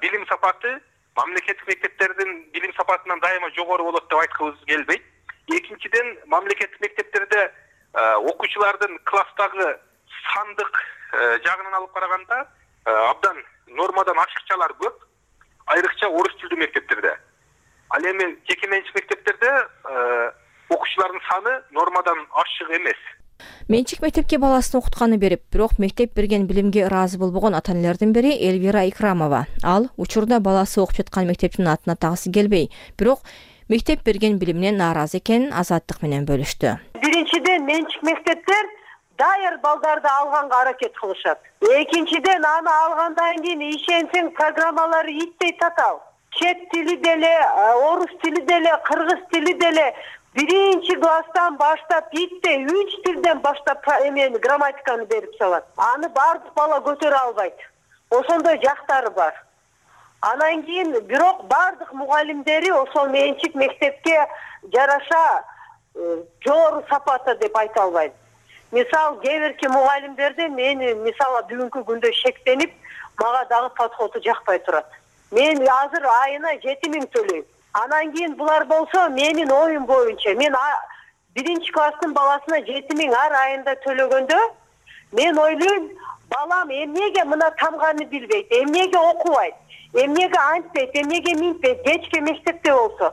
билим сапаты мамлекеттик мектептердин билим сапатынан дайыма жогору болот деп айткыбыз келбейт. Экинчиден, мамлекеттик мектептерде окуучулардын класстагы сандык жагынан алып караганда абдан нормадан ашыкчалар көп, айрыкча орус тилдүү мектептерде. Ал эми жеке менчик мектептерде окуучулардын саны нормадан ашык эмес. Менчик мектепке баласын окутканы берип, бирок мектеп берген билимге ыраазы болбогон ата-энелердин бири Элвира Икрамова. Ал учурда баласы окуп жаткан мектептин атын атагысы келбей, бирок мектеп берген билиминен нааразы экенин Азаттык менен бөлүштү. Биринчиден, менчик мектептер даяр балдарды алганга аракет кылышат. Экинчиден, аны алгандан кийин ишенсең программалары иттей татал. Чет тили деле, орус тили деле, кыргыз тили деле биринчи класстан баштап иттей 3 тилден баштап грамматиканы берип салат. Аны бардык бала көтөрө албайт. Ошондой жактары бар. Анан кийин бирок бардык мугалимдери ошол менчик мектепке жараша жогору сапатта деп айта албайм. Мисалы, кээ бирки мугалимдерде мени мисалы бүгүнкү күндө шектенип, мага дагы подходу жакпай турат. Мен азыр айына 7 000 төлөйм. Анан кийин булар болсо менин оюм боюнча мен биринчи класстын баласына 7 000 ар айында төлөгөндө мен ойлойм, балам эмнеге мына тамганы билбейт, эмнеге окубайт, эмнеге антпейт, эмнеге минтпейт, кечке мектепте болсо.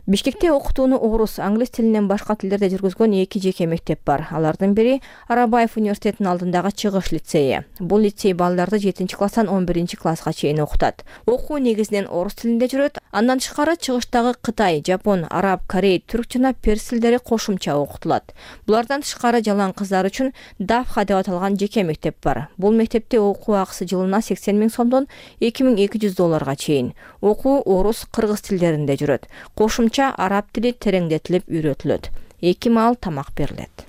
Бишкекте окутууну орус, англис тилинен башка тилдерде жүргүзгөн 2 жеке мектеп бар. Алардын бири Арабаев университетинин алдындагы Чыгыш лицейи. Бул лицей балдарды 7-класстан 11-класска чейин окутат. Окуу негизинен орус тилинде жүрөт. Андан тышкары Чыгыштагы Кытай, Жапон, Араб, Корей, түрк жана перс тилдери кошумча окутулат. Булардан тышкары жалаң кыздар үчүн Давха деп аталган жеке мектеп бар. Бул мектепте окуу акысы жылына 80 000 сомдон 2200 долларга чейин. Окуу орус, кыргыз тилдеринде жүрөт. Кошумча араб тили тереңдетилип үйрөтүлөт. 2 маал тамак берилет.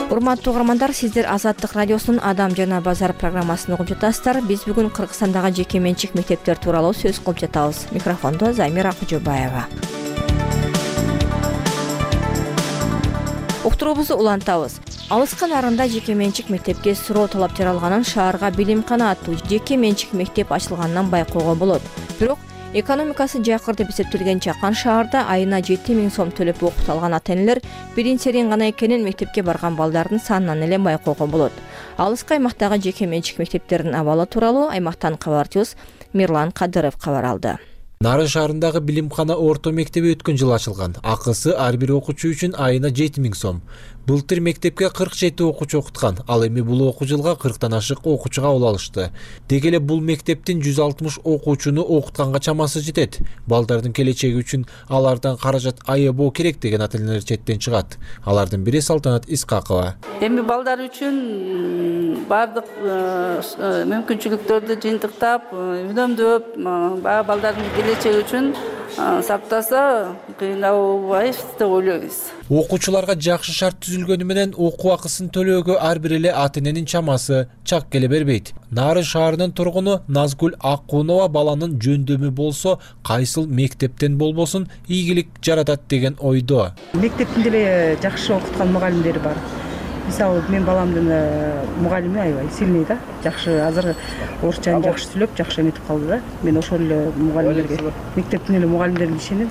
Урматтуу угармандар, сиздер Азаттык радиосунун Адам жана базар программасын угуп жатасыздар. Биз бүгүн Кыргызстандагы жеке менчик мектептер тууралуу сөз кылып жатабыз. Микрофондо Замира Кожобаева. Уктуруубузду улантабыз. Алыскы нарында жеке менчик мектепке суроо талап жаралганын шаарга билимкана аттуу жеке менчик мектеп ачылганынан байкоого болот. Бирок экономикасы жакыр деп эсептелген Чакан шаарда айына 7 000 сом төлөп окуталган ата-энелер бирин серин гана экенин мектепке барган балдардын санынан эле байкоого болот. Алыскы аймактагы жеке менчик мектептердин абалы тууралуу аймактан кабарчыбыз Мирлан Кадыров кабар алды. Нарын шаарындагы билимкана орто мектеби өткөн жылы ачылган. Акысы ар бир окуучу үчүн айына 7 000 сом. Былтыр мектепке 47 окуучу окуткан. Ал эми бул окуу жылга 40тан ашык окуучуга кабыл алышты. Деги эле бул мектептин 160 окуучуну окутканга чамасы жетет. Балдардын келечеги үчүн алардан каражат аябоо керек деген ата-энелер четтен чыгат. Алардын бири Салтанат Искакова. Эми балдар үчүн бардык мүмкүнчүлүктөрдү жыйынтыктап, үнөмдөп, балдардын келечеги үчүн сактаса кыйналбайбыз деп ойлойбуз. Окуучуларга жакшы шарт түзүлгөнү менен окуу акысын төлөөгө ар бир эле ата-эненин чамасы чак келе бербейт. Нарын шаарынын тургуну Назгүл Аккунова баланын жөндөмү болсо, кайсыл мектептен болбосун ийгилик жаратат деген ойдо. Мектептин деле жакшы окуткан мугалимдери бар. мисалы менин баламдын мугалими аябай сильный да, жакшы азыр орусчаны жакшы сүйлөп, жакшы эметип калды да. Мен ошол эле мугалимдерге, мектептин эле мугалимдерине ишенип,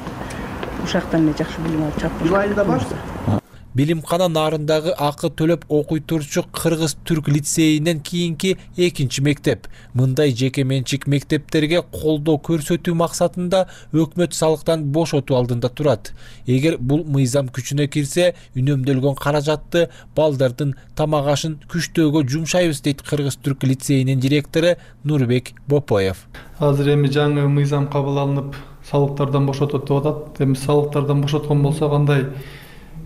ушактан эле жакшы билим алып чыгып. Билимкана нарындагы акы төлөп окуй турчу Кыргыз-Түрк лицейинен кийинки экинчи мектеп. Мындай жеке менчик мектептерге колдоо көрсөтүү максатында өкмөт салыктан бошотуу алдында турат. Эгер бул мыйзам күчүнө кирсе, үнөмдөлгөн каражатты балдардын тамак ашын күчтөөгө жумшайбыз дейт Кыргыз-Түрк лицейинин директору Нурбек Бопоев. Азыр эми жаңы мыйзам кабыл алынып, салыктардан бошотот деп атат. Эми салыктардан бошоткон болсо кандай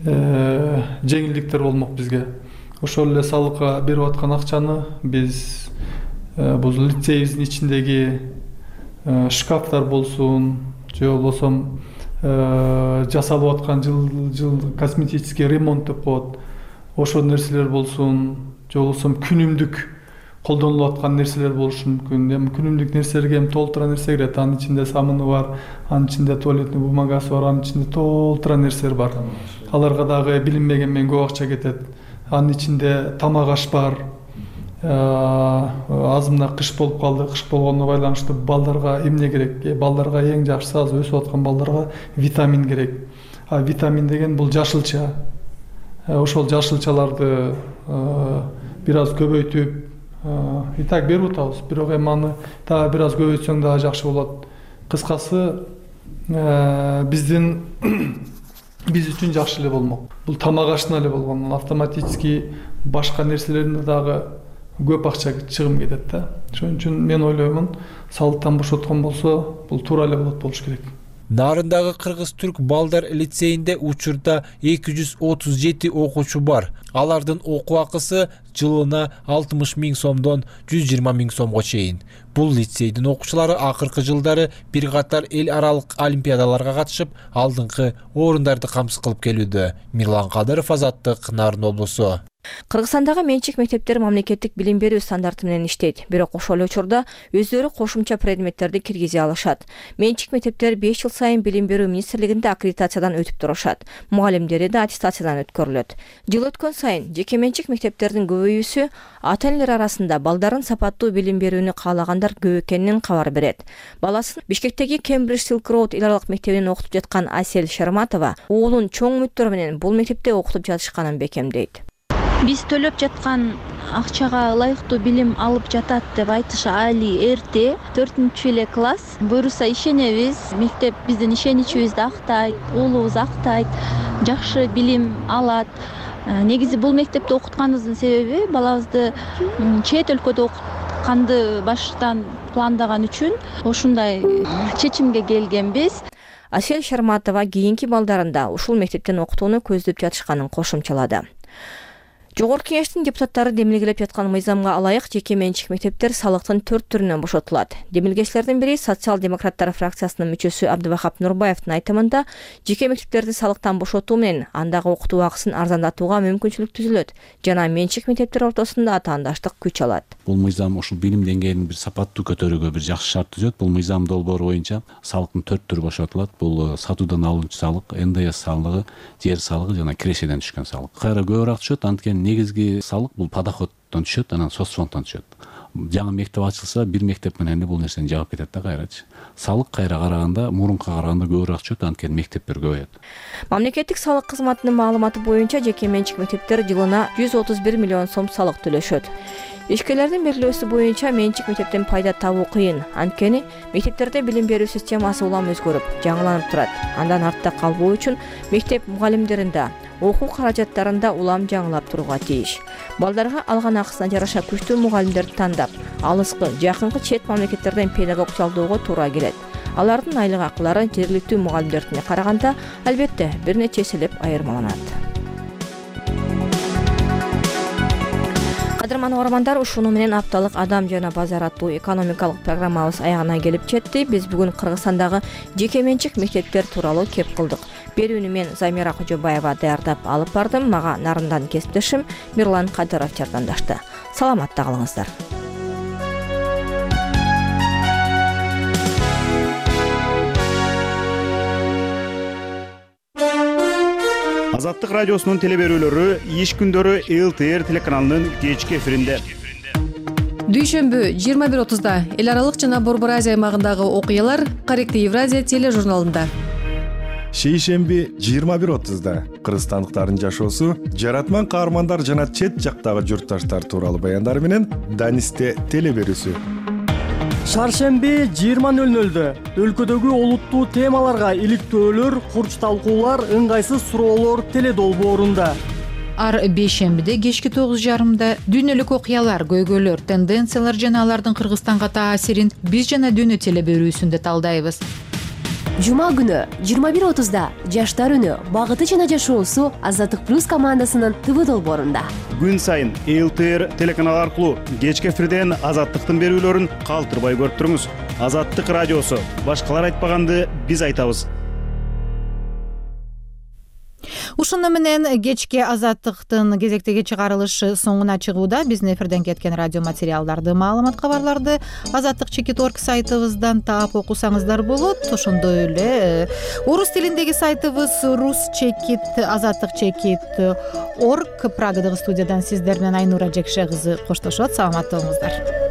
жеңилдиктер болмок бизге. Ошол эле салыкка берип аткан акчаны биз бул лицейибиздин ичиндеги шкафтар болсун, же болбосо жасалып аткан жыл косметический ремонт деп коет. Ошол нерселер болсун, же болбосо күнүмдүк колдонулуп аткан нерселер болушу мүмкүн. Эми күнүмдүк нерселерге эми толтура нерсе кирет. Анын ичинде самыны бар, анын ичинде туалетный бумагасы бар, анын ичинде толтура нерселер бар. Аларга дагы билинбеген менен көп акча кетет. Анын ичинде тамак аш бар. Азымда кыш болуп калды. Кыш болгондо байланыштуу балдарга эмне керек? Балдарга эң жакшысы азыр өсүп аткан балдарга витамин керек. Витамин деген бул жашылча. Ошол жашылчаларды бир аз көбөйтүп и так берип атабыз. Бирок эми аны дагы бир аз көбөйтсөң дагы жакшы болот. Кыскасы биз үчүн жакшы эле болмок. Бул тамак ашына эле болгон, автоматически башка нерселерде дагы көп акча чыгым кетет да. Ошон үчүн мен ойлоймун, салыктан бошоткон болсо, бул туура эле болот болуш керек. Нарындагы Кыргыз-Түрк балдар лицейинде учурда 237 окуучу бар. Алардын окуу акысы жылына 60 000 сомдон 120 000 сомго чейин. Бул лицейдин окуучулары акыркы жылдары бир катар эл аралык олимпиадаларга катышып, алдыңкы орундарды камсыз кылып келүүдө. Мирлан Кадыров, Азаттык, Нарын облусу. Кыргызстандагы менчик мектептер мамлекеттик билим берүү стандарты менен иштейт. Бирок ошол эле учурда өздөрү кошумча предметтерди киргизе алышат. Менчик мектептер 5 жыл сайын билим берүү министрлигинде аккредитациядан өтүп турушат. Мугалимдери да аттестациядан өткөрүлөт. Жыл өткөн сайын жеке менчик мектептердин көбөйүүсү ата-энелер арасында балдарын сапаттуу билим берүүнү каалагандар көп экенин кабар берет. Баласын Бишкектеги Cambridge Silk Road эл аралык мектебинен окутуп жаткан Асель Шарматова уулун чоң үмүттөр менен бул мектепте окутуп жатышканын бекемдейт. Биз төлөп жаткан акчага ылайыктуу билим алып жатат деп айтыш али эрте. 4-чү эле класс. Буюрса ишенебиз. Мектеп биздин ишеничибизди актайт, уулубуз актайт, жакшы билим алат. Негизи бул мектепте окутканыбыздын себеби балабызды чет өлкөдө окутканды баштан пландаган үчүн ушундай чечимге келгенбиз. Асель Шарматова кийинки балдарында ушул мектептен окутууну көздөп жатышканын кошумчалады. Жогорку кеңештин депутаттары демилгелеп жаткан мыйзамга ылайык жеке менчик мектептер салыктын 4 түрүнөн бошотулат. Демилгечилердин бири социал-демократтар фракциясынын мүчөсү Абдывахап Нурбаевдин айтымында жеке мектептерди салыктан бошотуу менен андагы окутуу акысын арзандатууга мүмкүнчүлүк түзүлөт жана менчик мектептер ортосунда атаандаштык күч алат. Бул мыйзам ушул билим деңгээлин бир сапаттуу көтөрүүгө бир жакшы шарт түзөт. Бул мыйзам долбоору боюнча салыктын 4 түрү бошотулат. Бул сатуудан алынчу салык, НДС салыгы, жер салыгы жана кирешеден түшкөн салык. Кайра көбүрөөк түшөт, анткени негизги салык бул подоходдон түшөт, анан соцфонддон түшөт. Жаңы мектеп ачылса, бир мектеп менен бул нерсени жаап кетет да кайрачы. Салык кайра караганда, мурунка караганда көбүрөөк түшөт, анткени мектептер көбөйөт. Мамлекеттик салык кызматынын маалыматы боюнча жеке менчик мектептер жылына 131 миллион сом салык төлөшөт. Ишкерлердин белгилөөсү боюнча менчик мектептен пайда табуу кыйын. Анткени мектептерде билим берүү системасы улам өзгөрүп, жаңыланып турат. Андан артта калбоо үчүн мектеп мугалимдеринде окуу каражаттарында улам жаңылап турууга тийиш. Балдарга алган акысына жараша күчтүү мугалимдерди тандап, алыскы, жакынкы чет мамлекеттерден педагог жалдоого туура келет. Алардын айлык акылары жергиликтүү мугалимдердине караганда албетте бир нече эселеп айырмаланат. Кадырман угармандар, ушуну менен апталык Адам жана базар аттуу экономикалык программабыз аягына келип жетти. Биз бүгүн Кыргызстандагы жеке менчик мектептер тууралуу кеп кылдык. Берүүнү мен Замира Кожобаева даярдап алып бардым. Мага нарындан кесиптешим Мирлан Кадыров жардамдашты. Саламатта калыңыздар. Азаттык радиосунун теле берүүлөрү иш күндөрү ЛТР телеканалынын кечки эфиринде. Дүйшөмбү 21:30 эл аралык жана Борбор Азия аймагындагы окуялар Корректив Евразия тележурналында. Шейшемби 21:30 кыргызстандыктардын жашоосу, жаратман каармандар жана чет жактагы журтташтар тууралуу баяндар менен Данисте теле берүүсү. Шаршемби 20:00 өлкөдөгү олуттуу темаларга иликтөөлөр, курч талкуулар, ыңгайсыз суроолор теле долбоорунда. Ар бейшембиде кечки 9:30 дүйнөлүк окуялар, көйгөйлөр, тенденциялар жана алардын Кыргызстанга таасирин биз жана дүйнө теле берүүсүндө талдайбыз. Жума күнү 21:30 Жаштар үнү, багыты жана жашоосу Азаттык плюс командасынын ТВ долбоорунда. Күн сайын ЛТР телеканалы аркылуу кечки эфирден Азаттыктын берүүлөрүн калтырбай көрүп туруңуз. Азаттык радиосу, башкалар айтпаганды биз айтабыз. Ушуну менен кечки Азаттыктын кезектеги чыгарылышы соңуна чыгууда. Биздин эфирден кеткен радио материалдарды, маалымат кабарларды Азаттык чекит.орг сайтыбыздан таап окусаңыздар болот. Ошондой эле орус тилиндеги сайтыбыз Ruschekit Азаттык чекит.орг. Прагадагы студиядан сиздер менен Айнура Жекше кызы коштошот. Саламатты болуңуздар.